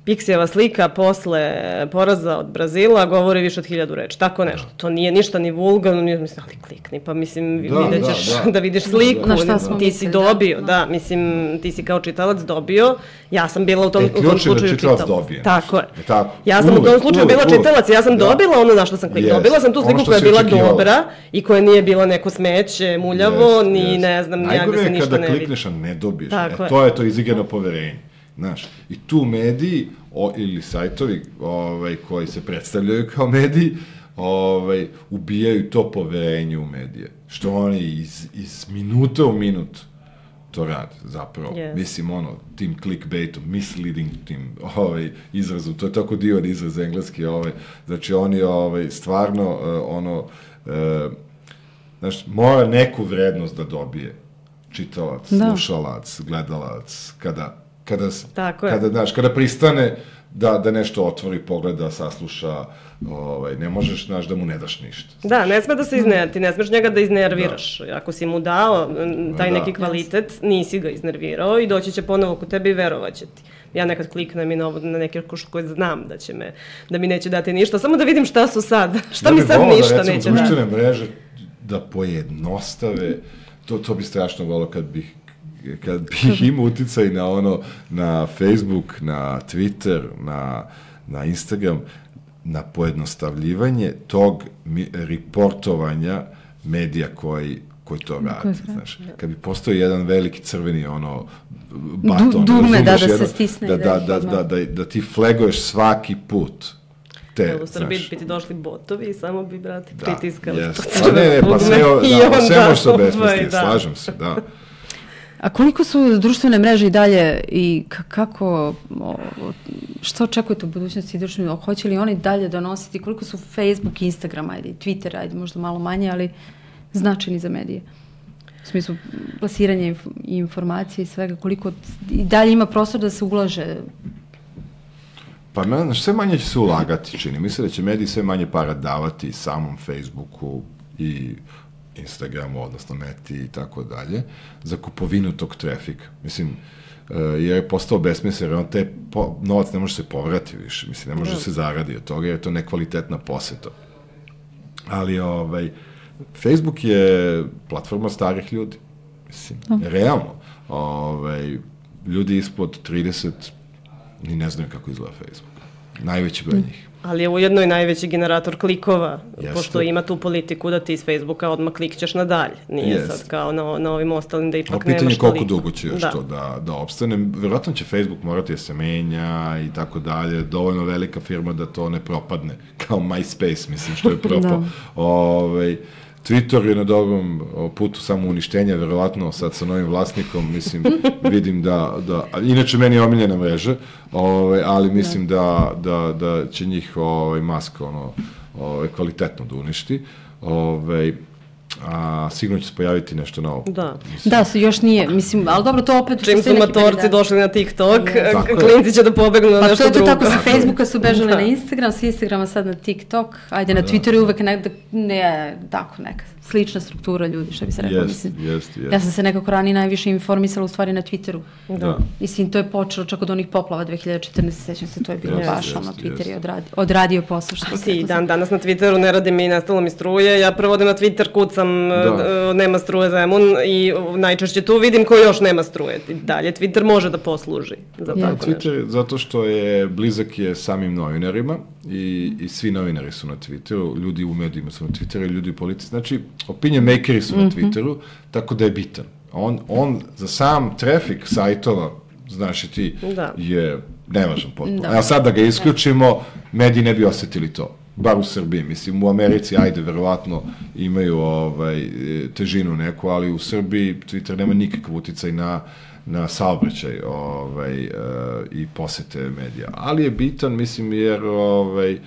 Pixijeva slika posle poraza od Brazila govori više od hiljadu reči. Tako nešto. To nije ništa ni vulgarno, nije, mislim, ali klikni, pa mislim, Da, vidjet ćeš da, da, da. vidiš sliku. Na šta smo ti si mislili, da. dobio, da. mislim, ti si kao čitalac dobio. Ja sam bila u tom, E, u tom ključ je da slučaju čitalac čitalac. dobije Tako je. nešto. Je tako? Ja sam u Uvek, tom slučaju uvek, bila uvek. čitalac, ja sam Da. dobila ono na što sam kliknula. Yes. Dobila sam tu Ono sliku što koja je si bila očekivala. dobra i koja nije bila neko smeće, muljavo, Jest, ni jest. ne znam, ja Najgore gde se je ništa kada ne vidi. klikneš, a ne dobiješ. Tako E, je. to je to izigrano poverenje. Znaš, i tu mediji o, ili sajtovi ovaj, koji se predstavljaju kao mediji ovaj, ubijaju to poverenje u medije. Što oni iz, iz minuta u minut to rade, zapravo. Yes. Mislim, ono, tim clickbaitom, misleading tim ovaj, izrazom, to je tako divan izraz engleski, ovaj, znači oni ovaj, stvarno, uh, ono, uh, znaš, mora neku vrednost da dobije čitalac, Da. slušalac, gledalac, kada, kada, Tako je. kada, znaš, kada pristane da, da nešto otvori, pogleda, sasluša, ovaj, ne možeš, znaš, da mu ne daš ništa. Da, ne sme da se izner, ti ne smeš njega da iznerviraš. Da. Ako si mu dao taj da. neki kvalitet, nisi ga iznervirao i doći će ponovo kod tebe i verovaće ti. Ja nekad kliknem i na, na neke koje znam da će me, da mi neće dati ništa, samo da vidim šta su sad, šta ja mi sad ništa da, recimo, neće dati. Ja bih volao da, recimo, društvene mreže da pojednostave, to, to bi strašno volao kad bih kad bih imao uticaj na ono, na Facebook, na Twitter, na, na Instagram, na pojednostavljivanje tog mi, reportovanja medija koji, koji to radi, znaš. Kad bi postao jedan veliki crveni ono baton, du, dugme, da, da jedan, se stisne. Da, da, da, da, da, da ti flaguješ svaki put. Te, u Srbiji bi ti došli botovi i samo bi, brate, da, pritiskali yes. to crveno ne, ne, pa sve, da, sve može se obesmisliti, da. slažem se, da. A koliko su društvene mreže i dalje i kako, što očekujete u budućnosti društvene, hoće li oni dalje donositi, koliko su Facebook, Instagram, ajde, Twitter, ajde, možda malo manje, ali značajni za medije? U smislu plasiranja informacije i svega, koliko i dalje ima prostor da se ulaže? Pa, znaš, sve manje će se ulagati, čini. Mislim da će mediji sve manje para davati samom Facebooku i Instagramu, odnosno Meti i tako dalje, za kupovinu tog trafika. Mislim, jer je postao besmislen, jer on te po, novac ne može se povrati više, mislim, ne može se zaradi od toga, jer je to nekvalitetna poseta. Ali, ovaj, Facebook je platforma starih ljudi, mislim, no. realno. Ovaj, ljudi ispod trideset ni ne znaju kako izgleda Facebook. Najveći broj njih. Ali je ujedno i najveći generator klikova, Jeste. pošto ima tu politiku da ti iz Facebooka odmah klikćeš nadalje. Nije Jeste. sad kao na, na ovim ostalim da ipak nemaš toliko. Pitanje koliko dugo će još da. to da, da opstane. Vjerojatno će Facebook morati da se menja i tako dalje. Dovoljno velika firma da to ne propadne. Kao MySpace, mislim, što je propao. Ove, Twitter je na dobrom putu samo uništenja, verovatno sad sa novim vlasnikom, mislim, vidim da, da inače meni je omiljena mreža, ovaj, ali mislim da, da, da će njih ovaj, Musk ono, ovaj, kvalitetno da uništi. Ovaj, a sigurno će se pojaviti nešto novo. Da, mislim. Da, još nije, mislim, ali dobro, to opet... Čim su matorci došli na TikTok, klinci će da pobegnu na pa nešto drugo. Pa to je to tako, sa Facebooka su bežali da. na Instagram, sa Instagrama sad na TikTok, ajde, na da. Twitteru je uvek nekada, ne, tako neka slična struktura ljudi, što bi se rekao, jest, mislim. Jest, jest. Ja sam se nekako ranije najviše informisala u stvari na Twitteru. Da. Mislim, to je počelo čak od onih poplava dve hiljade četrnaeste. sećam se, to je bilo baš, ono, Twitter je odradio, odradio posao, što se rekao. Dan, danas na Twitteru ne radi mi, nestalo mi struje, ja prvo odem na Twitter, kucam, da. nema struje Zemun i najčešće tu vidim ko još nema struje. Dalje, Twitter može da posluži za ja, tako Twitter, nešto. Zato što je blizak je samim novinarima i, i svi novinari su na Twitteru, ljudi u medijima su na Twitteru, ljudi u politici. Znači, opinion makeri su na Twitteru, tako da je bitan. On, on za sam trafik sajtova, znaš i ti, da. je nevažan potpuno. A sad da ga isključimo, mediji ne bi osetili to. Bar u Srbiji, mislim, u Americi, ajde, verovatno imaju ovaj, težinu neku, ali u Srbiji Twitter nema nikakav uticaj na, na saobraćaj ovaj, uh, i posete medija. Ali je bitan, mislim, jer ovaj,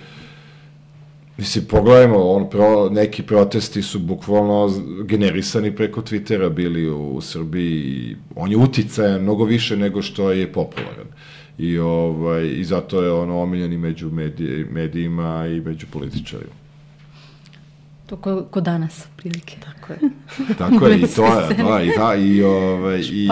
mislim, pogledajmo, on, pro, neki protesti su bukvalno generisani preko Twittera bili u, u Srbiji. On je uticajan mnogo više nego što je popularan. I, ovaj, i zato je ono omiljeni među medij, medijima i među političarima. To ko, ko danas, prilike. Tako je. Tako je, i to je, da, i, da, i, ovaj, i,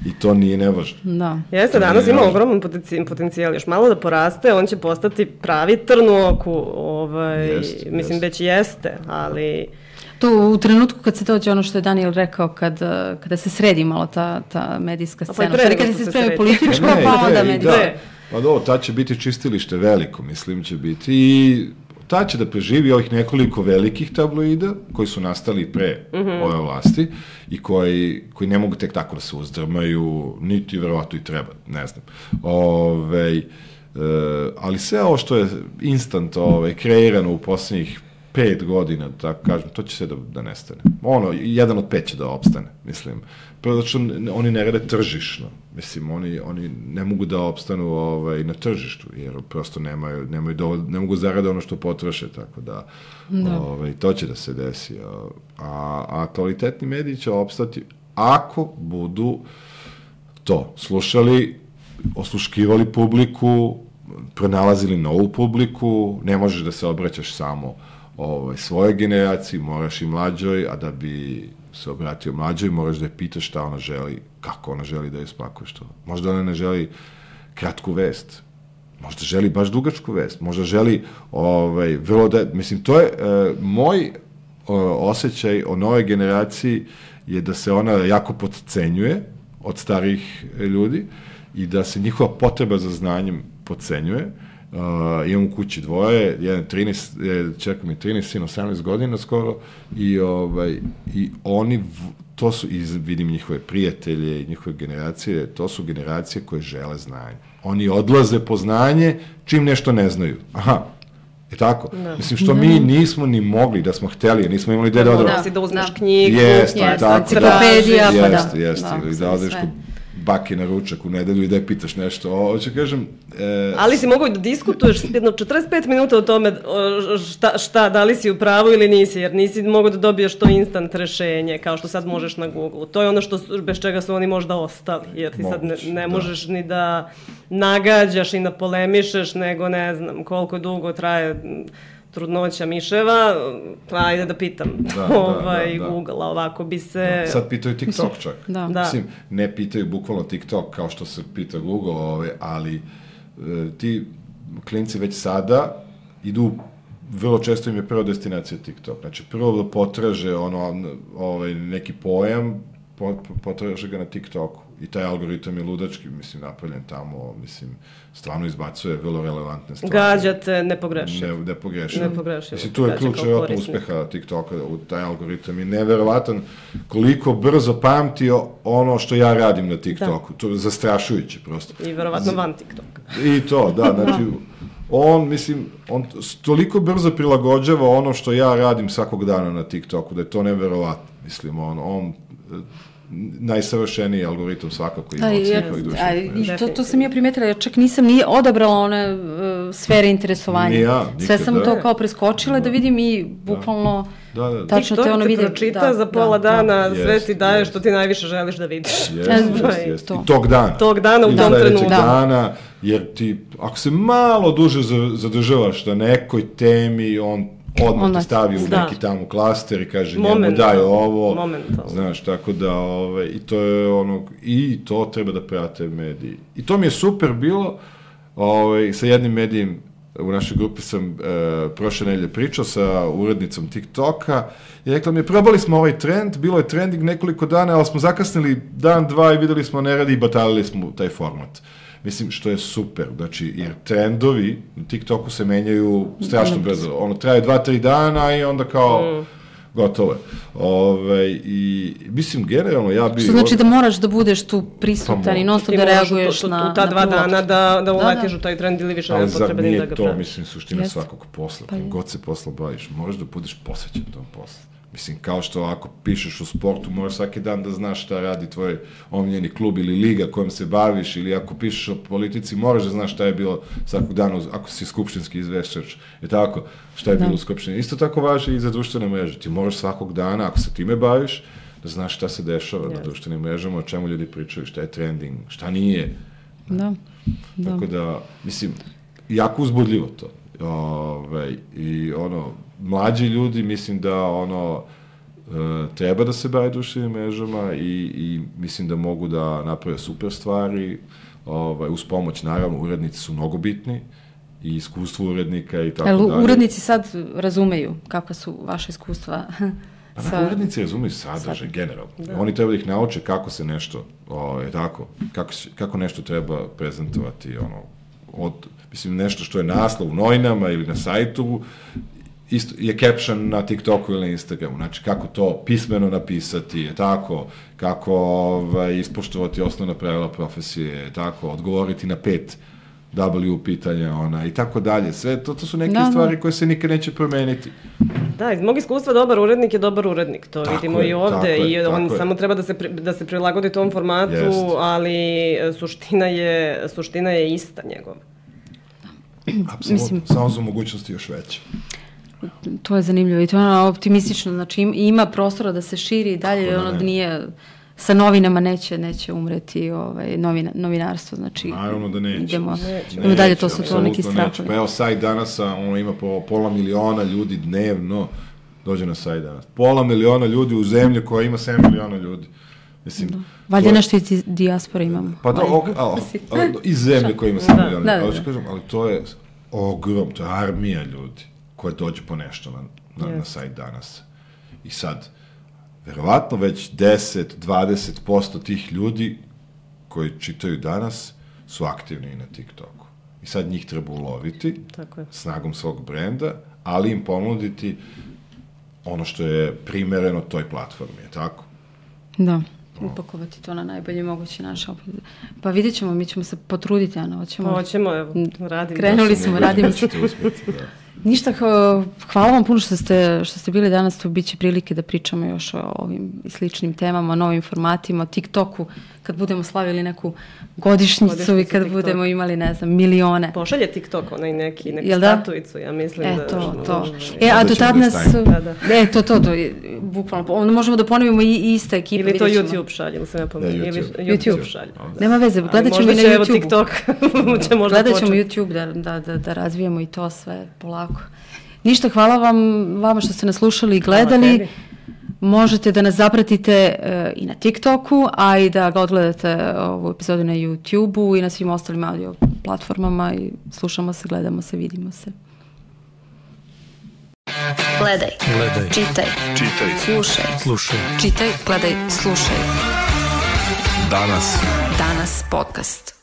i to nije nevažno. Da. Jeste, danas ima ogroman potencijal, još malo da poraste, on će postati pravi trn u oku, ovaj, jest, mislim, jest. već jeste, ali... To u trenutku kad se dođe ono što je Daniel rekao, kad, kada se sredi malo ta, ta medijska scena, pa kada se spremi političko, ne, pa onda medijska. Da. Pa do, ta će biti čistilište veliko, mislim, će biti i ta će da preživi ovih nekoliko velikih tabloida koji su nastali pre mm-hmm. ove vlasti i koji, koji ne mogu tek tako da se uzdrmaju, niti verovatno i treba, ne znam. Ove, e, ali sve ovo što je instant ove, kreirano u poslednjih pet godina, tako kažem, to će se da, da nestane. Ono, jedan od pet će da opstane, mislim. Prvo, znači, oni ne rade tržišno. Mislim, oni, oni ne mogu da opstanu ovaj, na tržištu, jer prosto nemaju, nemaju dovoljno, ne mogu zarade ono što potroše, tako da, da. Ovaj, to će da se desi. A, a kvalitetni mediji će opstati ako budu to slušali, osluškivali publiku, pronalazili novu publiku, ne možeš da se obraćaš samo ovaj, svojoj generaciji, moraš i mlađoj, a da bi se obratio mlađoj, moraš da je pitaš šta ona želi, kako ona želi da je spakuješ to. Možda ona ne želi kratku vest, možda želi baš dugačku vest, možda želi ovaj, vrlo da, mislim, to je uh, moj uh, osjećaj o novoj generaciji je da se ona jako podcenjuje od starih ljudi i da se njihova potreba za znanjem podcenjuje. Uh, imam u kući dvoje, jedan trinaest, čekam mi trinaest, sin osamnaest godina skoro i, ovaj, i oni, v, to su, iz, vidim njihove prijatelje i njihove generacije, to su generacije koje žele znanje. Oni odlaze po znanje čim nešto ne znaju. Aha, je tako? Da. Mislim, što mi nismo ni mogli da smo hteli, nismo imali gde da odemo. Da, da uzmeš knjigu, jeste, jest, tako, enciklopedija, da, pa da. Jeste, jeste, Da, ili da odeš kod baki na ručak u nedelju i da je pitaš nešto. O, hoću kažem... E, Ali si mogu da diskutuješ jedno četrdeset pet minuta o tome o, šta, šta, da li si u pravu ili nisi, jer nisi mogu da dobiješ to instant rešenje, kao što sad možeš na Google. To je ono što, bez čega su oni možda ostali, jer ti sad ne, ne možeš da. ni da nagađaš i da polemišeš, nego ne znam koliko dugo traje trudnoća miševa, pa ajde da pitam da, ovaj, da, da, da. Google, a ovako bi se... Sad pitaju TikTok čak. Da. Mislim, ne pitaju bukvalno TikTok kao što se pita Google, ove, ali e, ti klinci već sada idu, vrlo često im je prva destinacija TikTok. Znači, prvo da potraže ono, ovaj, neki pojam, potraže ga na TikToku. I taj algoritam je ludački, mislim, napravljen tamo, mislim, stvarno izbacuje vrlo relevantne stvari. Gađate nepogrešivo. Ne, nepogrešivo. Nepogrešivo. Mislim, tu je ključ vjerojatno uspeha TikToka, u taj algoritam je neverovatan koliko brzo pamti ono što ja radim na TikToku. Da. To je zastrašujuće prosto. I verovatno van TikToka. I to, da, znači, on, mislim, on toliko brzo prilagođava ono što ja radim svakog dana na TikToku, da je to neverovatno. Mislim, on, on najsavršeniji algoritam svakako ima od svih ovih društvenih. To, to sam ja primetila, jer čak nisam nije odabrala one uh, sfere interesovanja. Ni ja, nikad, sve sam da. to kao preskočila da, da vidim i bukvalno da. Da, da, da. tačno te ono vide. TikTok te pročita da, za pola da, dana, da. sve jest, ti daje jest. što ti najviše želiš da vidiš. Jeste, jeste, jeste. I tog dana. Tog dana u tom trenutku. I dana, jer ti, ako se malo duže zadržavaš na nekoj temi, on odmah te stavi u da. neki tamo klaster i kaže njemu daj ovo, Momentalno. Znaš, tako da, ove, i to je ono, i to treba da prate mediji. I to mi je super bilo, ove, sa jednim medijem, u našoj grupi sam e, prošle nedelje pričao sa urednicom TikToka i rekla mi je, probali smo ovaj trend, bilo je trending nekoliko dana, ali smo zakasnili dan, dva i videli smo ne radi i batalili smo taj format. Mislim, što je super, znači, jer trendovi na TikToku se menjaju strašno brzo. Ono, traje dva, tri dana i onda kao, mm. gotovo je. Ove, i, mislim, generalno, ja bi... Što znači da moraš da budeš tu prisutan pa, i non stop da reaguješ na... U ta dva dana da, da uletiš u taj trend ili više nema potrebe ni da ga pravi. Ali zar nije to, mislim, suština Jest. svakog posla. Pa god se posla baviš, moraš da budeš posvećen tom poslu. Mislim, kao što ako pišeš u sportu, moraš svaki dan da znaš šta radi tvoj omiljeni klub ili liga kojom se baviš, ili ako pišeš o politici, moraš da znaš šta je bilo svakog dana, ako si skupštinski izveštač, je tako, šta je da. bilo u skupštini. Isto tako važi i za društvene mreže. Ti moraš svakog dana, ako se time baviš, da znaš šta se dešava yes. na društvenim mrežama, o čemu ljudi pričaju, šta je trending, šta nije. Da. da. Tako da, mislim, jako uzbudljivo to. Ove, i ono, mlađi ljudi, mislim da ono, e, treba da se bave društvenim mrežama i, i mislim da mogu da naprave super stvari, ovaj, uz pomoć, naravno, urednici su mnogo bitni i iskustvo urednika i tako El, dalje. Urednici sad razumeju kakva su vaše iskustva? Pa sa... urednici razumeju sadržaj, sad. generalno. Da. Oni treba da ih nauče kako se nešto, ovaj, tako, kako, kako nešto treba prezentovati, ono, od, mislim, nešto što je naslov u novinama ili na sajtu, isto, je caption na TikToku ili na Instagramu, znači kako to pismeno napisati, je tako, kako ovaj, ispoštovati osnovna pravila profesije, je tako, odgovoriti na pet W pitanja, ona, i tako dalje. Sve to, to su neke da, stvari koje se nikad neće promeniti. Da, iz mog iskustva dobar urednik je dobar urednik, to tako vidimo je, i ovde, i on je. samo treba da se, da se prilagodi tom formatu, Jest. ali suština je, suština je ista njegova. Apsolutno, samo za mogućnosti još veće. To je zanimljivo i to je ono optimistično, znači ima prostora da se širi i dalje, ono da nije sa novinama neće, neće umreti ovaj, novina, novinarstvo, znači Naravno da neće. idemo, Neće, idemo dalje, to neće, su to neki apsolutno neće. strahovi. Pa evo, sajt Danasa, ono ima po pola miliona ljudi dnevno, dođe na sajt Danas. Pola miliona ljudi u zemlji koja ima sedam miliona ljudi. Mislim, Da. Valjda to je- nešto iz dijaspore imamo. Pa da, ok, a, a, iz zemlje koja ima Da. sedam miliona. Da, da, Ali da. ću kažem, ali to je ogrom, to je armija ljudi koja dođe po nešto na, na, na Yes. sajt Danas. I sad, verovatno već deset do dvadeset posto tih ljudi koji čitaju Danas su aktivni i na TikToku. I sad njih treba uloviti Tako je. snagom svog brenda, ali im ponuditi ono što je primereno toj platformi, je tako? Da, upakovati to na najbolji mogući način. Pa vidjet ćemo, mi ćemo se potruditi, Ana, hoćemo. Hoćemo, evo, radimo. Krenuli Ja sam smo, ubeđen radimo da se. ćete uspjeti, da. Ništa, hva- hvala vam puno što ste, što ste bili danas, tu bit će prilike da pričamo još o ovim i sličnim temama, o novim formatima, o TikToku, kad budemo slavili neku godišnjicu Godišnjicu i kad TikToka. budemo imali, ne znam, milione. Pošalje TikTok onaj neki, neku Jel da? statuicu, ja mislim E, da... to, to. ovaj, E, a Onda do ćemo tad da nas... stavimo. Da, da. E, to, to, to, je, bukvalno. Onda možemo da ponovimo i, i ista ekipa. Ili to vidjet ćemo. YouTube šalje, ili se ne Da, pomenuo. YouTube. Ili YouTube YouTube. šalje. Nema veze, gledat ćemo i na Možda će, evo, YouTube. TikTok će možda Gledat ćemo početi. YouTube da, da, da, da razvijemo i to sve polako. Ništa, hvala vam, vama što ste nas slušali i Hvala gledali. tebi. Možete da nas zapratite e, i na TikToku, a i da ga odgledate ovu epizodu na YouTubeu i na svim ostalim audio platformama i slušamo se, gledamo se, vidimo se. Gledaj, Gledaj, čitaj, čitaj, slušaj. slušaj. Čitaj, gledaj, slušaj. Danas. Danas podcast.